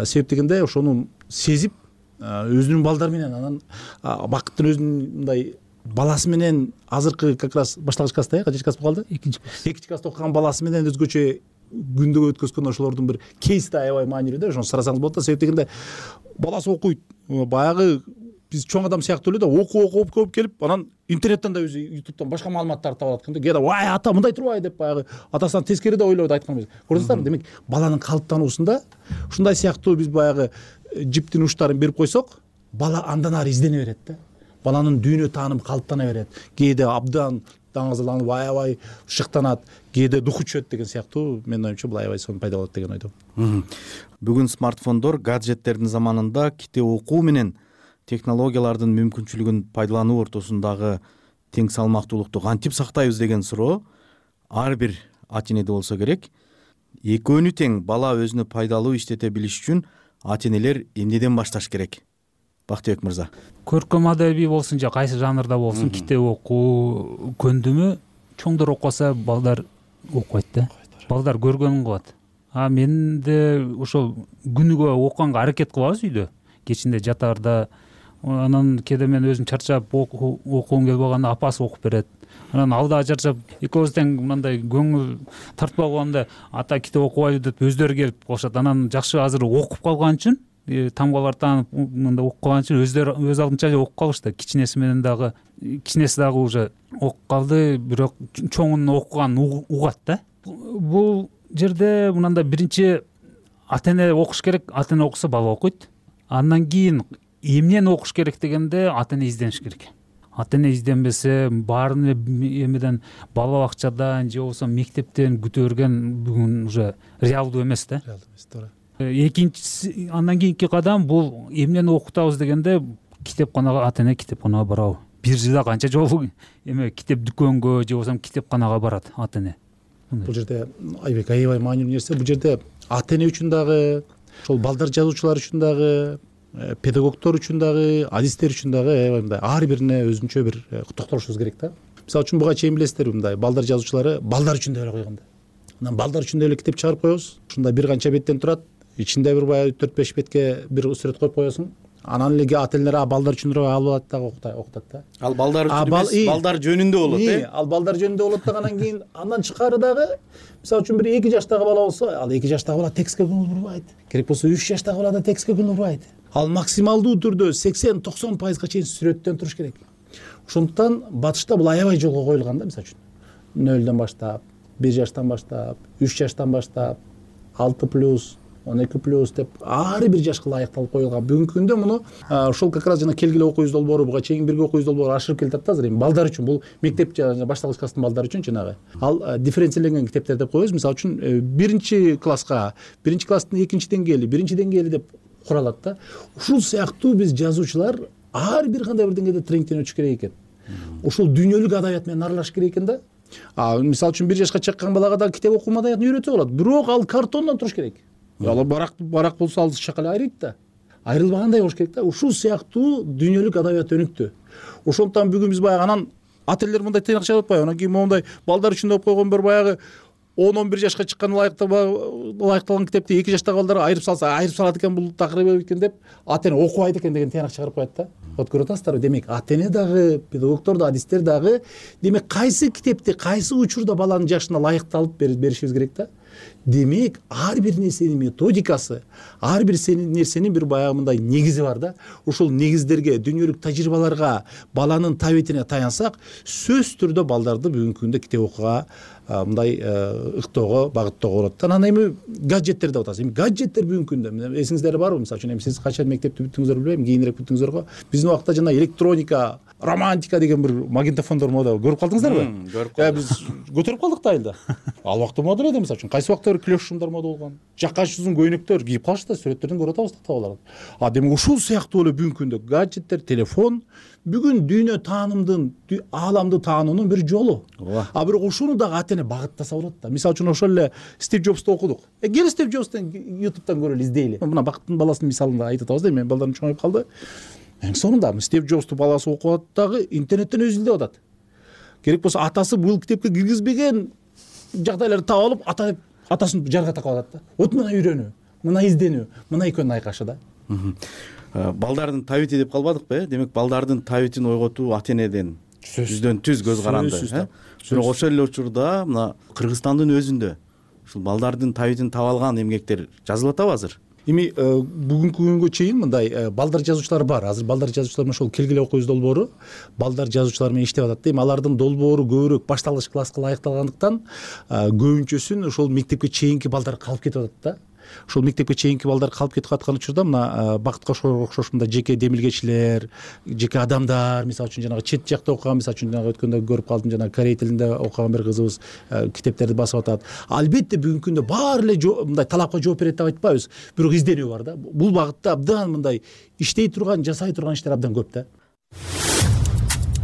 Себеп дегенде ошону сезип, өзүнүн балдары менен анан Бакыттын өзүнүн мындай баласы менен азыркы как раз башталгыч класста, качинчи класс болду? экинчи класс. экинчи класста окуган баласы менен өзгөчө күндөгө өткөзгөн ошолордун бир кейс да аябай маанилүү да. Ошону сурасаңыз болот да. Себеп дегенде баласы окуйт. Баягы биз чоң адам сыяктуу эле да, окуп окуп көп келип, анан интернеттен да өзү ютубтан башка маалыматтарды таап алат экен да. Кээде вай ата мындай турбайбы деп баягы атасынан тескери да ойлойт айткан. Көрдүңүздөрбү? Демек баланын калыптануусунда ушундай сыяктуу биз баягы жиптин уштарын берип койсок, бала андан ары издене берет да. Баланын дүйнө таанымы калыптана берет. Кээде абдан даңазаланып аябай шыктанат, кээде духу түшөт деген сыяктуу. Менин оюмча бул аябай сонун пайда болот деген ойдомун. Бүгүн смартфондор, гаджеттердин заманында китеп окуу менен технологиялардын мүмкүнчүлүгүн пайдалануу ортосундагы тең салмактуулукту кантип сактайбыз деген суроо ар бир ата энеде болсо керек. Экөөнү тең бала өзүнө пайдалуу иштете билиш үчүн ата энелер эмнеден башташ керек? Бактыбек мырза. Көркөм адабий болсун же кайсы жанрда болсун, китеп окуу көндүмү чоңдор окубаса балдар окубайт да. Балдар көргөнүн кылат. А мен де ошол күнүгө окуганга аракет кылабыз үйдө. Кечинде жатаарда, анан кээде мен өзүм чарчап окугум келип калганда апасы окуп берет. анан ал да чарчап экөөбүз тең мындай көңүл тартпай калганда ата китеп окубайлы деп өздөрү келип калышат. Анан жакшы азыр окуп калган үчүн тамгалар таанып мындай окуп калган үчүн өздөрү өз алдынча окуп калышты. Кичинеси менен дагы кичинеси дагы уже окуп калды, бирок чоңунун окуганын угат да. Бул жерде мындай биринчи ата эне окуш керек, ата эне окуса бала окуйт. Андан кийин эмнени окуш керек дегенде ата эне издениш керек. Ата эне изденбесе баарын эмеден бала бакчадан же болбосо мектептен күтө берген бүгүн уже реалдуу эмес да. Реалдуу эмес, туура. Экинчи андан кийинки кадам бул эмнени окутабыз дегенде китепканага, ата эне китепканага барабы. Бир жылда канча жолу эме китеп дүкөнгө же болбосо китепканага барат ата эне. Бул жерде Айбек аябай маанилүү нерсе. Бул жерде ата эне үчүн дагы, ошол балдар жазуучулар үчүн дагы, педагогдор үчүн дагы, адистер үчүн дагы аябай мындай ар бирине өзүнчө бир токтолушубуз керек да. Мисалы үчүн буга чейин билесиздерби, мындай балдар жазуучулары балдар үчүн деп эле койгон да. Анан балдар үчүн деп эле китеп чыгарып коебуз. Ушундай бир канча беттен турат. Ичинде бир баягы төрт беш бетке бир сүрөт коюп коесуң. Анан эле ата энелер балдар үчүн алып алат дагы окутат да. Ал балдар үчүн эмес, балдар жөнүндө болот э. Ал балдар жөнүндө болот да. Анан кийин андан тышкары дагы мисалы үчүн бир эки жаштагы бала болсо, ал эки жаштагы бала текстке көңүл бурбайт. Керек болсо үч жаштагы бала да текстке көңүл бурбайт. Ал максималдуу түрдө сексен токсон пайызга чейин сүрөттөн туруш керек. Ошондуктан батышта бул аябай жолго коюлган да. Мисалы үчүн нөлдөн баштап, бир жаштан баштап, үч жаштан баштап, алты плюс, он эки плюс деп ар бир жашка ылайыкталып коюлган. Бүгүнкү күндө муну ошол как раз жана келгиле окуйбуз долбоору, буга чейин бирге окуйбуз долбоору ашырып келатат да азыр. Эми балдар үчүн бул мектеп жана башталгыч класстын балдары үчүн жанагы ал дифференцияленген китептер деп коебуз. Мисалы үчүн биринчи класска, биринчи класстын экинчи деңгээли, биринчи деңгээли деп куралат да. Ушул сыяктуу биз жазуучулар ар бир кандай бир деңгээлде тренингден өтүш керек экен. Ушул дүйнөлүк адабият менен аралашыш керек экен да. А мисалы үчүн бир жашка чыккан балага да китеп окуу маданиятын үйрөтсө болот. Бирок ал картондон туруш керек. Ал барак барак болсо ал чакалы айрыйт да. Айрылбагандай болуш керек да. Ушул сыяктуу дүйнөлүк адабият өнүктү. Ошондуктан бүгүн биз баягы анан ата энелер мындай тыйнакча деп атпайбы. Анан кийин моундай балдар үчүн деп койгон бир баягы он он бир жашка чыккан ылайыкталган китепти эки жаштагы балдар айырып салса, айырып салат экен бул такыр экен деп ата эне окубайт экен деген тыйнак чыгарып коет да. Вот көрүп атасыздарбы? Демек ата эне дагы, педагогдор да, адистер дагы демек кайсы китепти, кайсы учурда баланын жашына ылайыкталып беришибиз керек да. Демек ар бир нерсенин методикасы, ар бир нерсенин бир баягы мындай негизи бар да. Ушул негиздерге, дүйнөлүк тажрыйбаларга, баланын табитине таянсак, сөзсүз түрдө балдарды бүгүнкү күндө китеп окууга мындай ыктоого, багыттоого болот. Анан эми гаджеттер деп атабыз. Эми гаджеттер бүгүнкү күндө эсиңиздер барбы? Мисалы үчүн эми сиз качан мектепти бүттүңүздөр билбейм, кийинирээк бүттүңүздөр го. Биздин убакта жана электроника, романтика деген бир магнитофондор мода көрүп калдыңыздарбы? Көрүп калдым. Биз көтөрүп калдык да айылда. Ал убакта мода эле, мисалы үчүн кайсы убакта бир клеш шумдар мода болгон. Жаккачы узун көйнөктөр кийип калышты, сүрөттөрдөн көрүп атабыз табаларды. А демек ушул сыяктуу эле бүгүнкү күндө гаджеттер, телефон бүгүн дүйнө таанымдын, ааламды таануунун бир жолу. А бирок ушуну дагы ата эне багыттаса болот да. Мисалы үчүн ошол эле Стив Джобсту окудук. Э кел Стив Джобстун ютубтан көрөлү, издейли. Мына бакыттын баласынын мисалында айтып атабыз да, менин балдарым чоңоюп калды. Эң сонунда Стив Джобсту баласы окуп атат дагы интернеттен өзү издеп атат. Керек болсо атасы бул китепке киргизбеген жагдайларды таап алып, ата атасын жарга такап атат да. Вот мына үйрөнүү, мына изденүү, мына экөөнүн айкашы да. Балдардын табити деп калбадыкпы э? Демек балдардын табитин ойготуу ата энеден жүздөн түз көз каранды э. Бирок ошол эле учурда мына Кыргызстандын өзүндө ушул балдардын табитин таап алган эмгектер жазылып атабы азыр? Эми бүгүнкү күнгө чейин мындай балдар жазуучулар бар. Азыр балдар жазуучулар менен ошол келгиле окуйбуз долбоору балдар жазуучулар менен иштеп атат да. Эми алардын долбоору көбүрөөк башталгыч класска ылайыкталгандыктан көбүнчөсүн ошол мектепке чейинки балдар калып кетип атат да. Ошол мектепке чейинки балдар калып кетип аткан учурда мына Бакытка окшош мындай жеке демилгечилер, жеке адамдар, мисалы үчүн жанагы чет жакта окуган, мисалы үчүн жанагы өткөндө көрүп калдым, жанагы корей тилинде окуган бир кызыбыз китептерди басып атат. Албетте бүгүнкү күндө баары эле мындай талапка жооп берет деп айтпайбыз, бирок изденүү бар да. Бул багытта абдан мындай иштей турган, жасай турган иштер абдан көп да.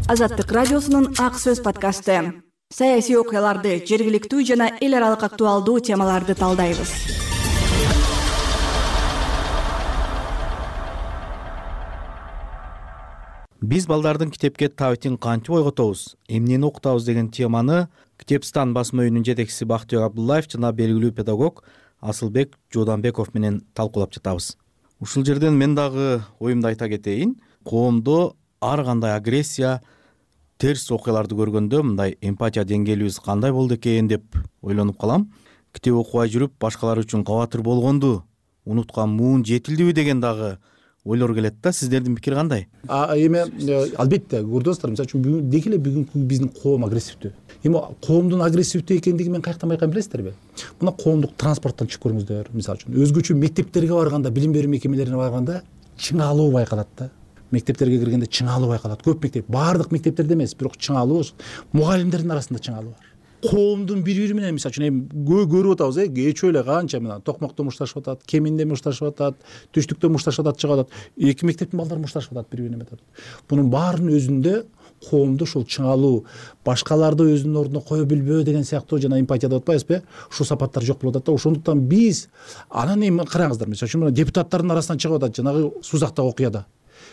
Азаттык радиосунун Ак сөз подкасты. Саясий окуяларды, жергиликтүү жана эл аралык актуалдуу темаларды талдайбыз. Биз балдардын китепке табитин кантип ойготобуз, эмнени окутабыз деген теманы Китепстан басма үйүнүн жетекчиси Бактыбек Абдуллаев жана белгилүү педагог Асылбек Жууданбеков менен талкуулап жатабыз. Ушул жерден мен дагы оюмду айта кетейин. Коомдо ар кандай агрессия терс окуяларды көргөндө мындай эмпатия деңгээлибиз кандай болду экен деп ойлонуп калам. Китеп окубай жүрүп башкалар үчүн кабатыр болгонду унуткан муун жетилдиби деген дагы ойлор келет да. Сиздердин пикир кандай? Эми албетте көрдүңүз достор, мисалы үчүн деги эле бүгүнкү биздин коом агрессивдүү. Эми коомдун агрессивдүү экендигин мен каяктан байкайм билесиздерби? Мына коомдук транспорттон чыгып көрүңүздөр. Мисалы үчүн өзгөчө мектептерге барганда, билим берүү мекемелерине барганда чыңалуу байкалат да. Мектептерге киргенде чыңалуу байкалат. Көп мектеп, баардык мектептерде эмес, бирок чыңалуу, мугалимдердин арасында чыңалуу бар. Коомдун бири-бири менен мисалы үчүн эми көрүп атабыз, э, кечөө эле канча мына токмокто мушташып атат, кеминде мушташып атат, түштүктө мушташып атат, чыгып атат. Эки мектептин балдары мушташып атат бири-бирине атат. Бунун баарынын өзүндө коомду ушул чыңалуу, башкаларды өзүнүн ордуна кое билбөө деген сыяктуу жана эмпатия деп атпайбызбы? Ушул сапаттар жок болуп атат да. Ошондуктан биз анан эми караңыздар, мисалы үчүн депутаттардын арасынан чыгып атат жанагы Сузактагы окуяда.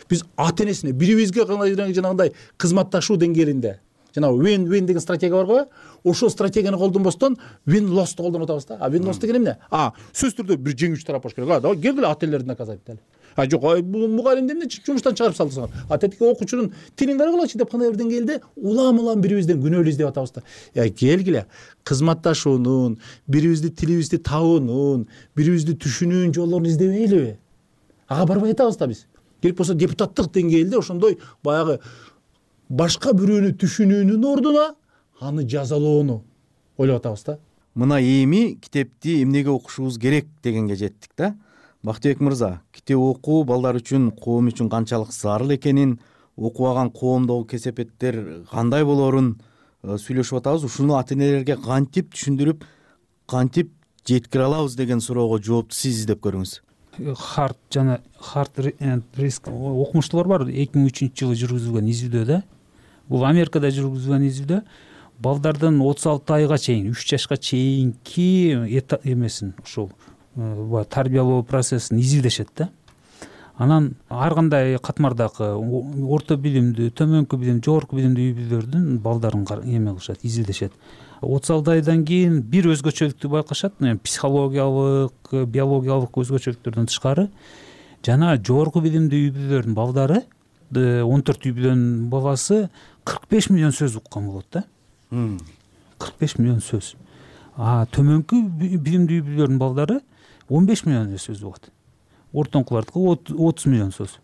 Биз ата энесине бирибизге жанагындай кызматташуу деңгээлинде жана win win деген стратегия бар го. Ошол стратегияны колдонбостон win loss колдонуп атабыз да. А win loss деген эмне? А сөзсүз түрдө бир жеңүүчү тарап болуш керек. А давай келгиле ата энелерди наказать этели. А жок, бул мугалимди эмне жумуштан чыгарып салдыңар? А тетиги окуучунун тилин карагылачы деп кандай бир деңгээлде улам-улам бирибизден күнөөлүү издеп атабыз да. Я келгиле кызматташуунун, бирибизди тилибизди табуунун, бирибизди түшүнүүнүн жолдорун издебейлиби? Ага барбай атабыз да биз. Керек болсо депутаттык деңгээлде ошондой баягы башка бирөөнү түшүнүүнүн ордуна аны жазалоону ойлоп атабыз да. Мына эми китепти эмнеге окушубуз керек дегенге жеттик да. Бактыбек мырза, китеп окуу балдар үчүн, коом үчүн канчалык зарыл экенин, окубаган коомдогу кесепеттер кандай болорун сүйлөшүп атабыз. Ушуну ата энелерге кантип түшүндүрүп, кантип жеткире алабыз деген суроого жоопту сиз издеп көрүңүз. Харт жана Харт риск окумуштуулар бар. эки миң үчүнчү жылы жүргүзүлгөн изилдөө да. Бул Америкада жүргүзүлгөн изилдөө. Балдардын отуз алты айга чейин, үч жашка чейинки эмесин, ушул тарбиялоо процессин изилдешет да. Анан ар кандай катмардагы орто билимдүү, төмөнкү билим, жогорку билимдүү үй бүлөлөрдүн балдарын эме кылышат, изилдешет. отуз алты айдан кийин бир өзгөчөлүктү байкашат, психологиялык, биологиялык өзгөчөлүктөрдөн тышкары жана жогорку билимдүү үй бүлөлөрдүн балдары, он төрт үй бүлөнүн баласы кырк беш миллион сөз уккан болот да. кырк беш миллион сөз. А төмөнкү билимдүү үй бүлөлөрдүн балдары он беш миллион сөз угат. Ортоңкулардыкы отуз миллион сөз.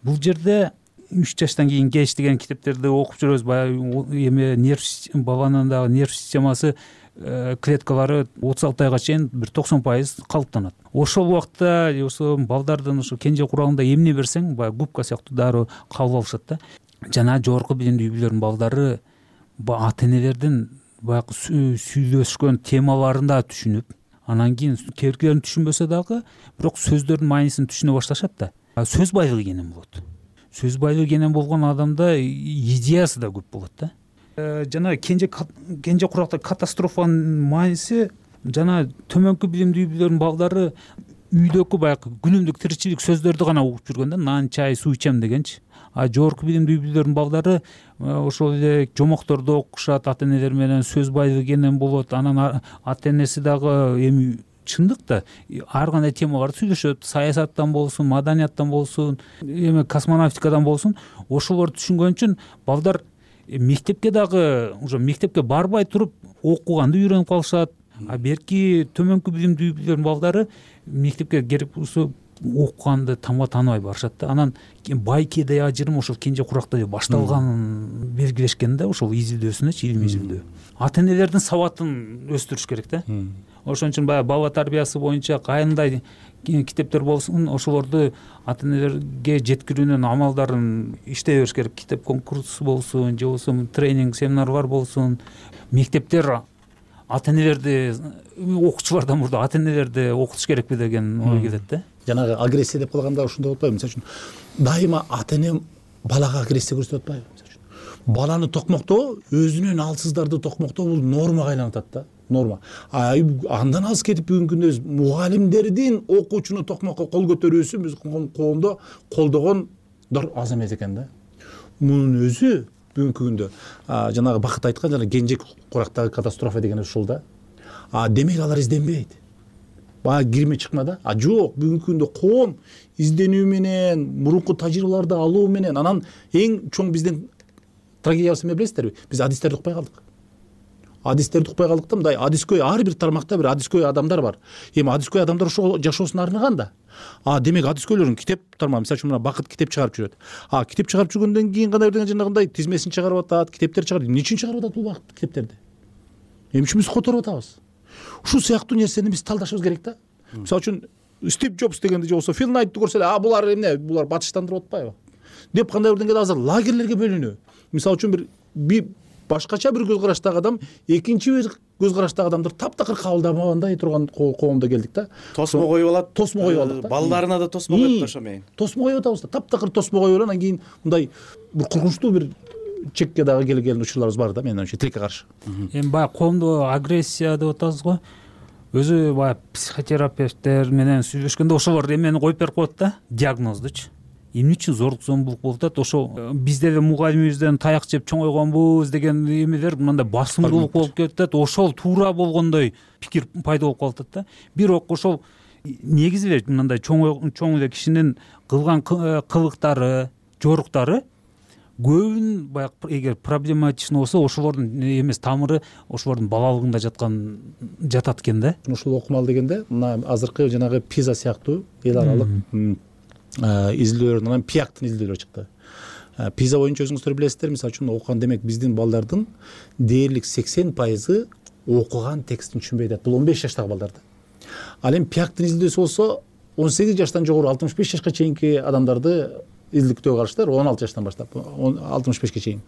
Бул жерде үч жаштан кийин кеч деген китептерди окуп жүрөбүз. Баягы эме нерв баланын дагы нерв системасы, клеткалары отуз алты айга чейин бир токсон пайыз калыптанат. Ошол убакта ошо балдардын ошо кенже курагында эмне берсең, баягы губка сыяктуу дароо кабыл алышат да. Жана жогорку билимдүү үй бүлөлөрдүн балдары ата энелердин баягы сүйлөшкөн темаларын да түшүнүп, анан кийин керкилерин түшүнбөсө дагы, бирок сөздөрдүн маанисин түшүнө башташат да. Сөз байлыгы кенен болот. Сөз байлыгы кенен болгон адамда идеясы да көп болот да. Жана кенже кенже куракта катастрофанын мааниси, жана төмөнкү билимдүү үй бүлөлөрдүн балдары үйдөгү баягы күнүмдүк тиричилик сөздөрдү гана угуп жүргөн да, нан, чай, суу ичем дегенчи. А жогорку билимдүү үй бүлөлөрдүн балдары ошол эле жомокторду окушат, ата энелер менен сөз байлыгы кенен болот. Анан ата энеси дагы эми чындык да ар кандай темаларды сүйлөшөт, саясаттан болсун, маданияттан болсун, эме космонавтикадан болсун. Ошолорду түшүнгөн үчүн балдар мектепке дагы уже мектепке барбай туруп окуганды үйрөнүп калышат. А берки төмөнкү билимдүү үй бүлөлөрдүн балдары мектепке келип окуганды тамга тааныбай барышат да. Анан байкеде ажырым ошол кенже куракта башталганын белгилешкен да, ошол изилдөөсүнөчү, илимий изилдөө. Ата энелердин сабатын өстүрүш керек да. Ошон үчүн баягы бала тарбиясы боюнча кандай китептер болсун, ошолорду ата энелерге жеткирүүнүн амалдарын иштей бериш керек. Китеп конкурсу болсун, же болбосо тренинг, семинарлар болсун. Мектептер ата энелерди, окуучулардан мурда ата энелерди окутуш керекпи деген ой келет да. Жанагы агрессия деп калганда ушундай болуп атпайбы? Мисалы үчүн дайыма ата эне балага агрессия көрсөтүп атпайбы? Мисалы үчүн баланы токмоктоо, өзүнөн алсыздарды токмоктоо бул нормага айланып атат да. Норма. А андан алыс кетип бүгүнкү күндө мугалимдердин окуучуну токмокко кол көтөрүүсү биз коомдо колдогондор аз эмес экен да. Мунун өзү бүгүнкү күндө жанагы Бакыт айткан жана кенже курактагы катастрофа деген ушул да. А демек алар изденбейт. Баягы кирме чыкма да. А жок, бүгүнкү күндө коом изденүү менен, мурунку тажрыйбаларды алуу менен, анан эң чоң биздин трагедиябыз эмне билесиздерби? Биз адистерди укпай калдык. Адистерди укпай калдык да мындай адискөй ар бир тармакта бир адискөй адамдар бар. Эми адискөй адамдар ошо жашоосуна арнаган да. А демек адискөйлөрүн китеп тармагы, мисалы үчүн мына Бакыт китеп чыгарып жүрөт. А китеп чыгарып жүргөндөн кийин кандай бир жанагындай тизмесин чыгарып атат, китептер чыгарып. Эмне үчүн чыгарып атат бул убакыт китептерди? Эмне үчүн биз которуп атабыз? Ушул сыяктуу нерсени биз талдашыбыз керек да. Мисалы үчүн Стив Джобс дегенди же болбосо Фил Найтты көрсө эле, а булар эмне, булар батыштандырып атпайбы деп кандай бир деңгээлде азыр лагерлерге бөлүнүү. Мисалы үчүн бир бир башкача бир көз караштагы адам экинчи бир көз караштагы адамдарды таптакыр кабылдабагандай турган коомдо келдик да. Тосмо коюп алат. Тосмо коюп алдык да. Балдарына да тосмо коюп ошо менен. Тосмо коюп атабыз да. Таптакыр тосмо коюп анан кийин мындай бир коркунучтуу бир чекке дагы келген учурларыбыз бар да, менин оюмча, тилекке каршы. Эми баягы коомдо агрессия деп атабыз го. Өзү баягы психотерапевттер менен сүйлөшкөндө ошолор эмени коюп берип коет да, диагноздучу. Эмне үчүн зордук зомбулук болуп атат? Ошо биз деле мугалимибизден таяк жеп чоңойгонбуз деген эмелер мындай басымдуулук болуп кетет. Ошол туура болгондой пикир пайда болуп калып атат да. Бирок ошол негизи эле мындай чоң чоң эле кишинин кылган кылыктары, жоруктары көбүн баягы эгер проблематичный болсо ошолордун эмес тамыры ошолордун балалыгында жаткан жатат экен да. Ушул окумал дегенде мына азыркы жанагы пиза сыяктуу эл аралык изилдөөлөр, анан пиактын изилдөөлөрү чыкты. Пиза боюнча өзүңүздөр билесиздер, мисалы үчүн окуган, демек биздин балдардын дээрлик сексен пайызы окуган текстин түшүнбөй атат. Бул он беш жаштагы балдарды. Ал эми пиактын изилдөөсү болсо он сегиз жаштан жогору алтымыш беш жашка чейинки адамдарды изилдөөгө караштыр, он алты жаштан баштап алтымыш бешке чейин.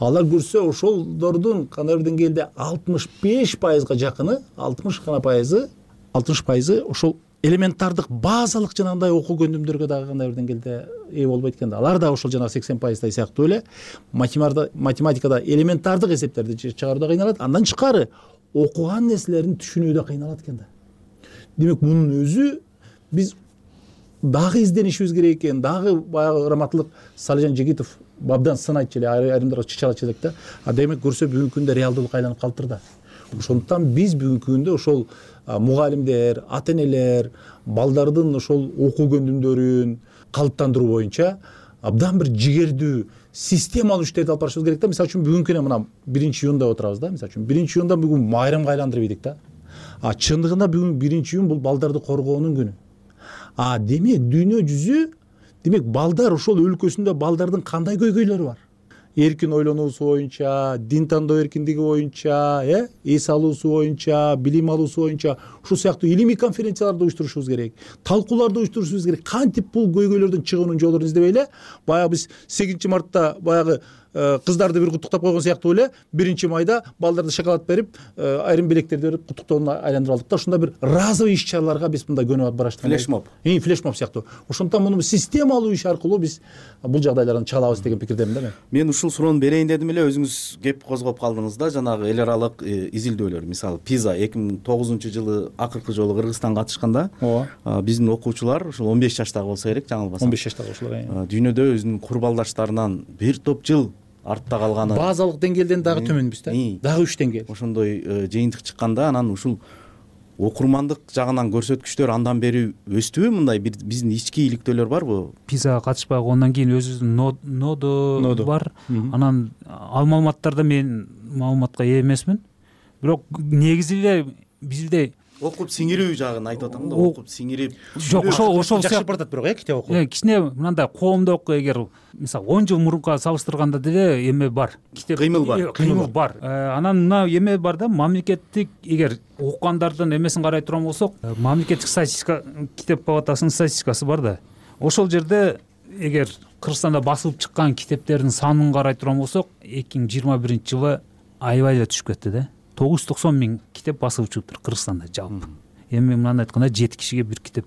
Алар көрсө ошолдордун кандай бир деңгээлде алтымыш беш пайызга жакыны, алтымыш гана пайызы, алтымыш пайызы ошол элементардык базалык жанагындай окуу көндүмдөргө дагы кандай бир деңгээлде ээ болбойт экен да. Алар да ошол жанагы сексен пайыздай сыяктуу эле математикада элементардык эсептерди чыгарууда кыйналат. Андан тышкары окуган нерселерин түшүнүүдө кыйналат экен да. Демек мунун өзү биз дагы изденишибиз керек экен. Дагы баягы раматтылык Салижан Жегитов бабдан сын айтчу эле, айрымдар чычалачу элек да. А демек көрсө бүгүнкү күндө реалдуулукка айланып калыптыр да. Ошондуктан биз бүгүнкү күндө ошол мугалимдер, ата энелер балдардын ошол окуу көндүмдөрүн калыптандыруу боюнча абдан бир жигердүү системалуу иштерди алып барышыбыз керек да. Мисалы үчүн бүгүнкү күнү мына биринчи июнда отурабыз да. Мисалы үчүн биринчи июнда бүгүн майрамга айландырып ийдик да. А чындыгында бүгүн биринчи июн бул балдарды коргоонун күнү. А демек дүйнө жүзү, демек балдар ошол өлкөсүндө балдардын кандай көйгөйлөрү бар? Эркин ойлонуусу боюнча, дин тандоо эркиндиги боюнча, э, эс алуусу боюнча, билим алуусу боюнча ушул сыяктуу илимий конференцияларды уюштурушубуз керек, талкууларды уюштурушубуз керек. Кантип бул көйгөйлөрдөн чыгуунун жолдорун издебей эле, баягы биз сегизинчи мартта баягы кыздарды бир куттуктап койгон сыяктуу эле биринчи майда балдарды шоколад берип, айрым белектерди берип куттуктоонун айландырып алдык да. Ушундай бир разовый иш-чараларга биз мындай көнүп бараштык. Флешмоб. Эми флешмоб сыяктуу. Ошондуктан муну системалуу иш аркылуу биз бул жагдайлардан чыга алабыз деген пикирдемин да мен. Мен ушул суроону берейин дедим эле, өзүңүз кеп козгоп калдыңыз да. Жанагы эл аралык изилдөөлөр, мисалы пиза эки миң тогузунчу жылы акыркы жолу Кыргызстанга катышканда биздин окуучулар ушул он беш жаштагы болсо керек, жаңылбасам. он беш жаштагы окуучулар. Дүйнөдө өзүнүн курбалдаштарынан бир топ жыл артта калганы, базалык деңгээлден дагы төмөнбүз да. Дагы үч деңгээл. Ошондой жыйынтык чыкканда анан ушул окурмандык жагынан көрсөткүчтөр андан бери өстүбү? Мындай бир биздин ички иликтөөлөр барбы? Пизага катышпагы, андан кийин өзүбүздүн нодо бар. Анан ал маалыматтарда мен маалыматка ээ эмесмин. Бирок негизи эле бизде окуп сиңирүү жагын айтып атам да. Окуп сиңирип. Жок, ошол ошол жакшы баратат бирок э китеп окуу. Э, кичине мындай коомдук, эгер мисалы он жыл мурунка салыштырганда деле эме бар. Китеп кыймыл бар. Кыймыл бар. Анан мына эме бар да, мамлекеттик, эгер окугандардын эмесин карай турган болсок, мамлекеттик статистика китеп палатасынын статистикасы бар да. Ошол жерде эгер Кыргызстанда басылып чыккан китептердин санын карай турган болсок, эки миң жыйырма биринчи жылы аябай эле түшүп кетти да. тогуз жүз токсон миң китеп басылып чыгыптыр Кыргызстанда жалпы. Эми мынаны айтканда жети кишиге бир китеп,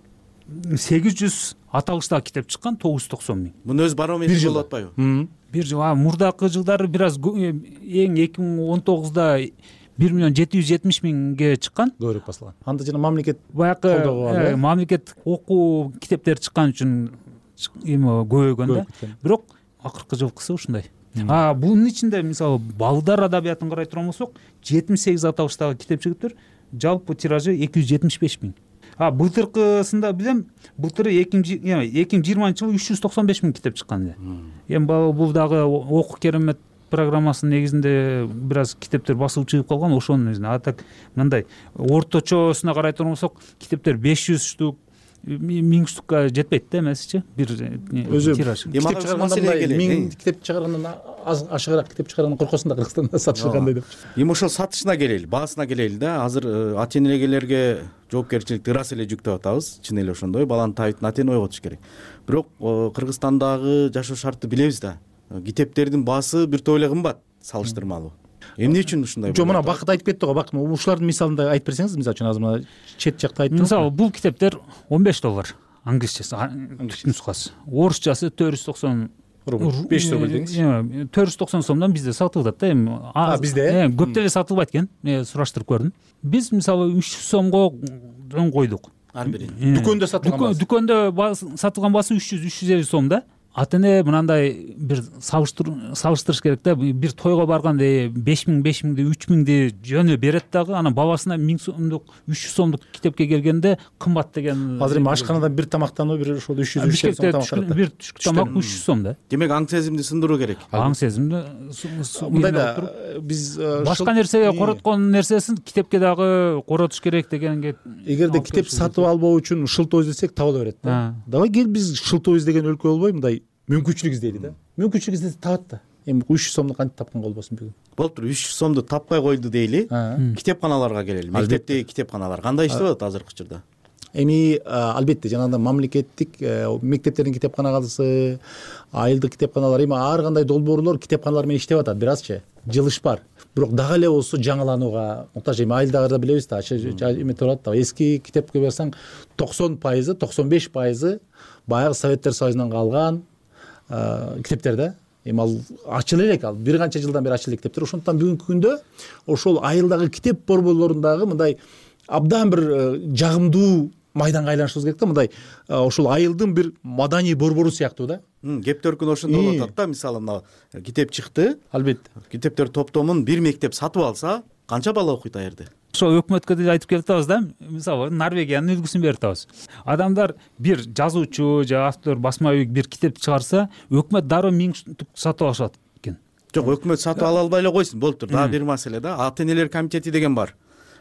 сегиз жүз аталыштагы китеп чыккан, тогуз жүз токсон миң. Муну өз барометри болуп атпайбы? Бир жыл, мурдакы жылдары бир аз эң эки миң он тогузда бир миллион жети жүз жетимиш миңге чыккан. Көбүрөөк басылган. Анда жана мамлекет баягы мамлекет окуу китептер чыккан үчүн эми көбөйгөн да. Бирок акыркы жылкысы ушундай. А бунун ичинде мисалы балдар адабиятын карай турган болсок, жетимиш сегиз аталыштагы китеп чыгыптыр. Жалпы тиражы эки жүз жетимиш беш миң. А былтыркысында билем, былтыры эки миң жыйырманчы жылы үч жүз токсон беш миң китеп чыккан эле. Эми бул дагы окуу керемет программасынын негизинде бир аз китептер басылып чыгып калган, ошонун өзүнө. А так мындай орточосуна карай турган болсок, китептер беш жүз штук, миң штукка жетпейт да эмесичи бир өзү тираж. Китеп чыгарганда миң китеп чыгаргандан аз ашыгыраак китеп чыгаргандан коркосуң да Кыргызстанда сатышылгандай деп. Эми ошол сатышына келели, баасына келели да. Азыр ата энелерге жоопкерчиликти ырас эле жүктөп атабыз. Чын эле ошондой, баланын табитин ата эне ойготуш керек. Бирок Кыргызстандагы жашоо шартты билебиз да. Китептердин баасы бир топ эле кымбат салыштырмалуу. Эмне үчүн ушундай болот? Жок, мына Бакыт айтып кетти го, Бакыт, ушулардын мисалында айтып берсеңиз, мисалы үчүн азыр мына чет жакта айтып. Мисалы, бул китептер он беш доллар, англисчеси, нускасы. Орусчасы төрт жүз токсон рубль, беш жүз рубль деңиз. төрт жүз токсон сомдон бизде сатылып атат да эми. А, бизде? Көп деле сатылбайт экен. Мен сураштырып көрдүм. Биз мисалы үч жүз сомго койдук. Ар бирин. Дүкөндө сатылган баасы. Дүкөндө сатылган баасы үч жүз үч жүз элүү сом да. Ата эне мынандай бир салыштырыш керек да. Бир тойго барганда беш миң беш миңди үч миңди жөнү берет дагы, анан бабасына миң сомдук үч жүз сомдук китепке келгенде кымбат деген. Азыр эми ашканадан бир тамактануу бир ошол үч жүз үч жүз сом тамак алат. Бир түшкү тамак үч жүз сом да. Демек аң сезимди сындыруу керек. Аң сезимди мындай да, биз башка нерсеге короткон нерсесин китепке дагы коротуш керек дегенге. Эгерде китеп сатып албоо үчүн шылтоо издесек табыла берет да. Давай кел биз шылтоо издеген өлкө болбой мындай мүмкүнчүлүк издейли да. Мүмкүнчүлүк издесе табат да. Эми үч жүз сомду кантип тапканга болбосун бүгүн. Болуптур, үч жүз сомду таппай койду дейли. Китепканаларга келели. Мектептеги китепканалар кандай иштеп атат азыркы учурда? Эми албетте жанагындай мамлекеттик мектептердин китепканалары, айылдык китепканалар, эми ар кандай долбоорлор китепканалар менен иштеп атат, бир азчы жылыш бар. Бирок дагы эле болсо жаңыланууга муктаж. Эми айылдагыларда билебиз да, эме турат да, эски китепке барсаң токсон пайызы, токсон беш пайызы баягы Советтер Союзунан калган китептер да. Эми ал ачыла элек, ал бир канча жылдан бери ачыла элек китептер. Ошондуктан бүгүнкү күндө ошол айылдагы китеп борборлорундагы мындай абдан бир жагымдуу майданга айланышыбыз керек да, мындай ошол айылдын бир маданий борбору сыяктуу да. Кеп төркүн ошондой болуп атат да. Мисалы мына китеп чыкты. Албетте. Китептер топтомун бир мектеп сатып алса, канча бала окуйт ал жерде? Ошо өкмөткө деле айтып келип атабыз да. Мисалы Норвегиянын үлгүсүн берип атабыз. Адамдар бир жазуучу же автор, басма үй бир китеп чыгарса, өкмөт дароо миң штук сатып алышат экен. Жок, өкмөт сатып ала албай эле койсун, болуптур. Дагы бир маселе да. Ата энелер комитети деген бар.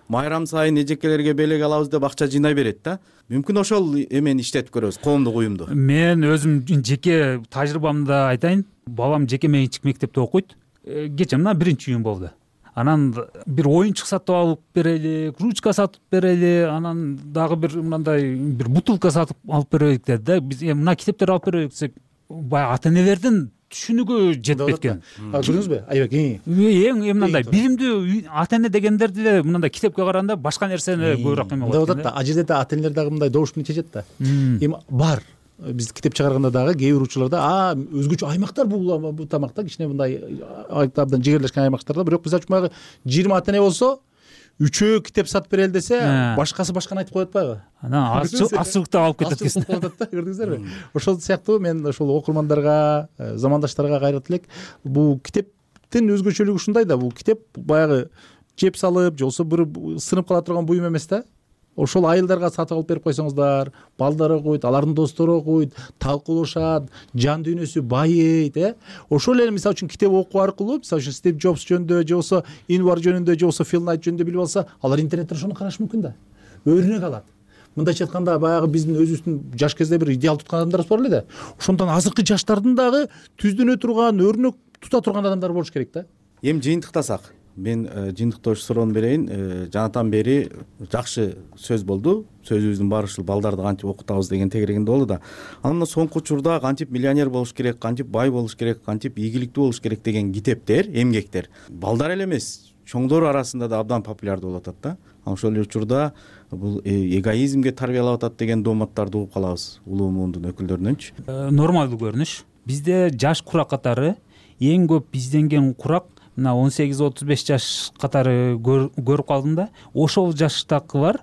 Майрам сайын эжекелерге белек алабыз деп акча жыйнай берет да. Мүмкүн ошол эмени иштетип көрөбүз, коомдук уюмду. Мен өзүм жеке тажрыйбамда айтайын. Балам жеке менчик мектепте окуйт. Кече мына биринчи июнь болду. Анан бир оюнчук сатып алып берели, ручка сатып берели, анан дагы бир мындай бир бутылка сатып алып берелик деди да. Биз мына китептерди алып берелик десек, баягы ата энелердин түшүнүгү жетпейт экен. Көрдүңүзбү? Айбек, эң мындай билимдүү ата эне дегендер деле мындай китепке караганда башка нерсени көбүрөөк эме болот. Мындай да, ал жерде да ата энелер дагы мындай добуш менен чечет да. Эми бар. Биз китеп чыгарганда дагы кээ бир учурларда а өзгөчө аймактар бул бул тамакта кичине мындай абдан жигерлешкен аймактарда, бирок биз ачмагы жыйырма ата эне болсо үчөө китеп сатып берели десе, башкасы башканы айтып коет атпайбы? Анан аччылыкта алып кетет экен. Көрдүңүздөрбү? Ошол сыяктуу мен ошол окурмандарга, замандаштарга кайрат элек. Бул китептин өзгөчөлүгү ушундай да, бул китеп баягы жеп салып, же болбосо бир сынып кала турган буюм эмес да. Ошол айылдарга сатып алып берип койсоңуздар, балдар окуйт, алардын достору окуйт, талкуулашат, жан дүйнөсү байыйт, э? Ошол эле мисалы үчүн китеп окуу аркылуу, мисалы үчүн Стив Джобс жөнүндө, же болбосо Инвар жөнүндө, же болбосо Фил Найт жөнүндө билип алса, алар интернеттен ошону карашы мүмкүн да. Өрнөк алат. Мындайча айтканда баягы биздин өзүбүздүн жаш кезде бир идеал туткан адамдарыбыз бар эле да. Ошондон азыркы жаштардын дагы түздөнө турган, өрнөк тута турган адамдар болуш керек да. Эми жыйынтыктасак, мен жыйынтыктоочу суроону берейин. Жанатан бери жакшы сөз болду. Сөзүбүздүн баары ушул балдарды кантип окутабыз деген тегерегинде болду да. Анан соңку учурда кантип миллионер болуш керек, кантип бай болуш керек, кантип ийгиликтүү болуш керек деген китептер, эмгектер балдар эле эмес, чоңдор арасында да абдан популярдуу болуп атат да. Ошол эле учурда бул эгоизмге тарбиялап атат деген дооматтарды угуп калабыз улуу муундун өкүлдөрүнөнчү. Нормалдуу көрүнүш. Бизде жаш курак катары эң көп изденген курак мына он сегиз отуз беш жаш катары көрүп калдым да. Ошол жаштагылар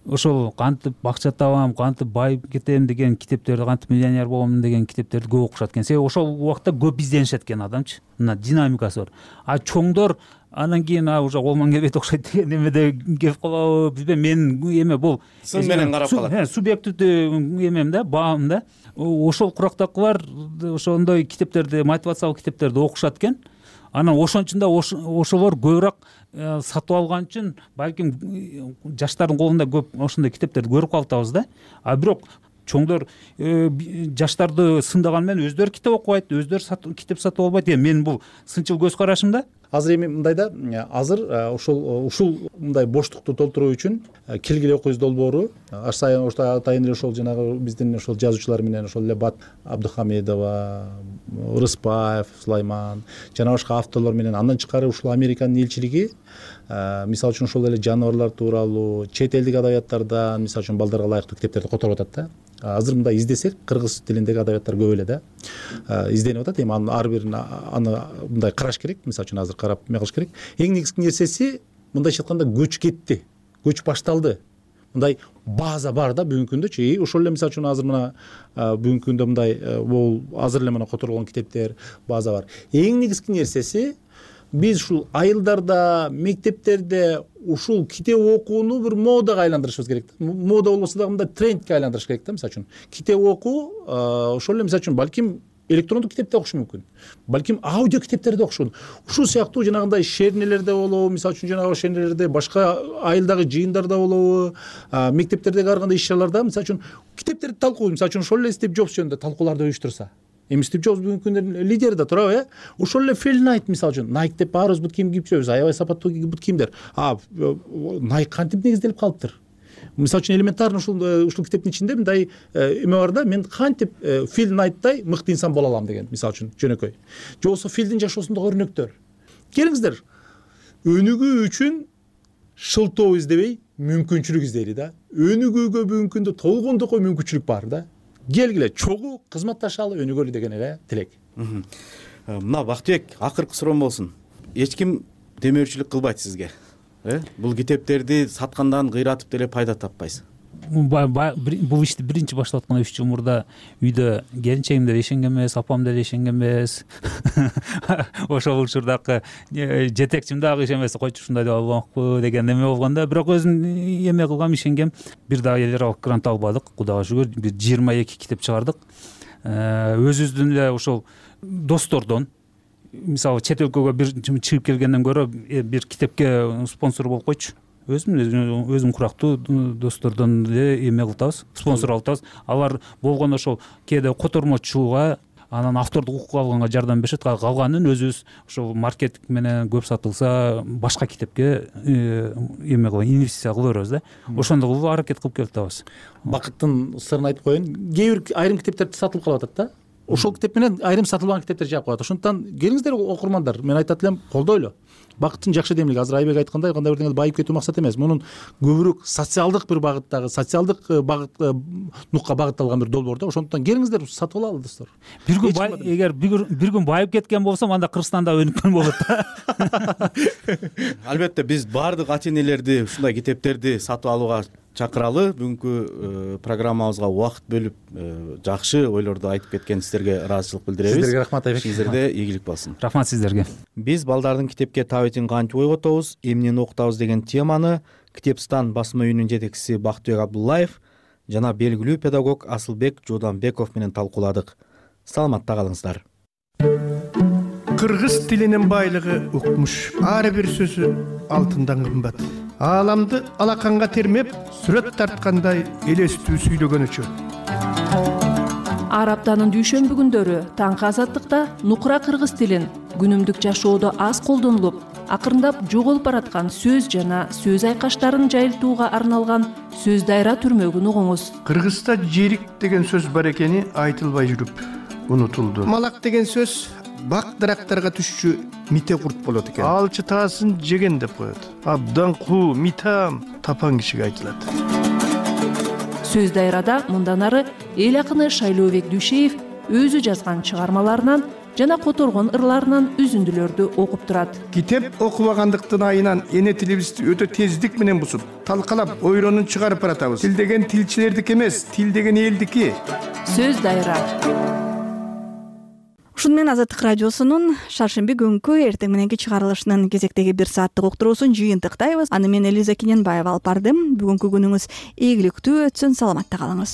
ошол кантип акча табам, кантип байып кетем деген китептерди, кантип миллионер болом деген китептерди көп окушат экен. Себеби ошол убакта көп изденишет экен адамчы. Мына динамикасы бар. А чоңдор анан кийин уже колман кебет окшойт деген эмеде келип калабы бизбе? Мен эме бул сын менен карап калат. Субъективдүү эмем да, баам да. Ошол курактагылар ошондой китептерди, мотивациялык китептерди окушат экен. анан ошончун да ошолор көбүрөөк сатып алган үчүн балким жаштардын колунда көп ошондой китептерди көрүп калатабыз да. А бирок чоңдор жаштарды сындаган менен өздөрү китеп окубайт, өздөрү китеп сатып албайт. Эми менин бул сынчыл көз карашым да. Азыр эми мындай да, азыр ошол ушул мындай боштукту толтуруу үчүн келгиле окуйбуз долбоору аш сайын атайын эле ошол жанагы биздин ошол жазуучулар менен ошол эле Бат Абдухамедова, Рыспаев, Сулайман жана башка авторлор менен андан тышкары ушул Американын элчилиги мисалы үчүн ошол эле жаныбарлар тууралуу чет элдик адабияттардан мисалы үчүн балдарга ылайыктуу китептерди которуп атат да. Азыр мындай издесек кыргыз тилиндеги адабияттар көп эле да изденип атат. Эми анын ар бирин аны мындай караш керек, мисалы үчүн азыр карап эме кылыш керек. Эң негизги нерсеси мындайча айтканда көч кетти, көч башталды. Мындай база бар да бүгүнкү күндөчү. И ошол эле мисалы үчүн азыр мына бүгүнкү күндө мындай бул азыр эле мына которулган китептер база бар. Эң негизги нерсеси биз ушул айылдарда, мектептерде ушул китеп окууну бир модага айландырышыбыз керек да. Мода болбосо дагы мындай трендке айландырыш керек да. Мисалы үчүн китеп окуу ошол эле мисалы үчүн балким электрондук китепте окуш мүмкүн, балким аудио китептерди окуш мүмкүн. Ушул сыяктуу жанагындай шернелерде болобу, мисалы үчүн жанагы шернелерде башка айылдагы жыйындарда болобу, мектептердеги ар кандай иш-чараларда мисалы үчүн китептерди талкуу, мисалы үчүн ошол эле Стив Джобс жөнүндө талкууларды уюштурса. Эми Стив Джобс бүгүнкү күндө лидер да турабы, э? Ошол эле Фил Найт мисалы үчүн Nike деп баарыбыз бут кийим кийип жүрөбүз, аябай сапаттуу бут кийимдер. А Nike кантип негизделип калыптыр? Мисалы үчүн элементарно ушул ушул китептин ичинде мындай эме бар да, мен кантип Фил Найттай мыкты инсан боло алам деген, мисалы үчүн жөнөкөй. Же болбосо Филдин жашоосундагы өрнөктөр. Келиңиздер, өнүгүү үчүн шылтоо издебей мүмкүнчүлүк издейли да. Өнүгүүгө бүгүнкү күндө толгондокой мүмкүнчүлүк бар да. Келгиле чогуу кызматташалы, өнүгөлү деген эле тилек. Мына Бактыбек, акыркы суроом болсун. Эч ким демөөрчүлүк кылбайт сизге, э? Бул китептерди саткандан кыйратып деле пайда таппайсыз. Бул ишти биринчи баштап атканда үч жыл мурда үйдө келинчегим деле ишенген эмес, апам деле ишенген эмес. Ошол учурдагы жетекчим дагы ишенбесе, койчу ушундай деп албакпы деген эме болгондо, бирок өзүм эме кылгам, ишенгем. Бир дагы элералык грант албадык, Кудайга шүгүр. Бир жыйырма эки китеп чыгардык. Өзүбүздүн эле ошол достордон, мисалы чет өлкөгө бир чыгып келгенден көрө бир китепке спонсор болуп койчу. Өзүм өзүм курактуу достордон эле эме кылтабыз, спонсор алабыз. Алар болгондо ошол кээде котормочуга, анан автордук укук алганга жардам беришет. Калганын өзүбүз ошол маркетинг менен көп сатылса башка китепке эме кылып, инвестиция кыла беребиз да. Ошондой кылып аракет кылып келатабыз. Бакыттын сырын айтып коеюн. Кээ бир айрым китептерди сатылып калып атат да. Ошол китеп менен айрым сатылган китептер жаап коет. Ошондуктан келиңиздер окурмандар, мен айтат элем, колдойлу. Бакыттын жакшы демилиги. Азыр Айбек айткандай, кандай бир деңгээлде байып кетүү максат эмес. Мунун көбүрөөк социалдык бир багыттагы, социалдык багыт нукка багытталган бир долбоор да. Ошондуктан келиңиздер сатып алалы достор. Бир күн эгер бир күн байып кеткен болсом, анда Кыргызстанда өнүккөн болот да. Албетте биз баардык ата энелерди ушундай китептерди сатып алууга чакыралы. Бүгүнкү программабызга убакыт бөлүп жакшы ойлорду айтып кеткениңиздерге ыраазычылык билдиребиз. Сиздерге рахмат Айбек. Сиздерде ийгилик болсун. Рахмат сиздерге. Биз балдардын китепке табитин кантип ойготобуз, эмнени окутабыз деген теманы Китепстан басма үйүнүн жетекчиси Бактыбек Абдуллаев жана белгилүү педагог Асылбек Жууданбеков менен талкууладык. Саламатта калыңыздар. Кыргыз тилинин байлыгы укмуш. Ар бир сөзү алтындан кымбат. Ааламды алаканга термеп, сүрөт тарткандай элестүү сүйлөгөнүчө. Ар аптанын дүйшөмбү күндөрү таңкы азаттыкта нукура кыргыз тилин күнүмдүк жашоодо аз колдонулуп, акырындап жоголуп бараткан сөз жана сөз айкаштарын жайылтууга арналган сөз дайра түрмөгүн угуңуз. Кыргызда жерик деген сөз бар экени айтылбай жүрүп унутулду. Малак деген сөз бак дарактарга түшчү мите курт болот экен. Алчы таасын жеген деп коет. Абдан куу, митам тапан кишиге айтылат. Сөз дайрада мындан ары эл акыны Шайлообек Дүйшеев өзү жазган чыгармаларынан жана которгон ырларынан үзүндүлөрдү окуп турат. Китеп окубагандыктын айынан эне тилибизди өтө тездик менен бузуп, талкалап, ойронун чыгарып баратабыз. Тил деген тилчилердики эмес, тил деген элдики. Сөз дайра. Ушун менен Азаттык радиосунун шаршемби күнкү эртең мененки чыгарылышынын кезектеги бир сааттык уктуруусун жыйынтыктайбыз. Аны мен Элиза Кененбаева алып бардым. Бүгүнкү күнүңүз ийгиликтүү өтсүн, саламатта калыңыз.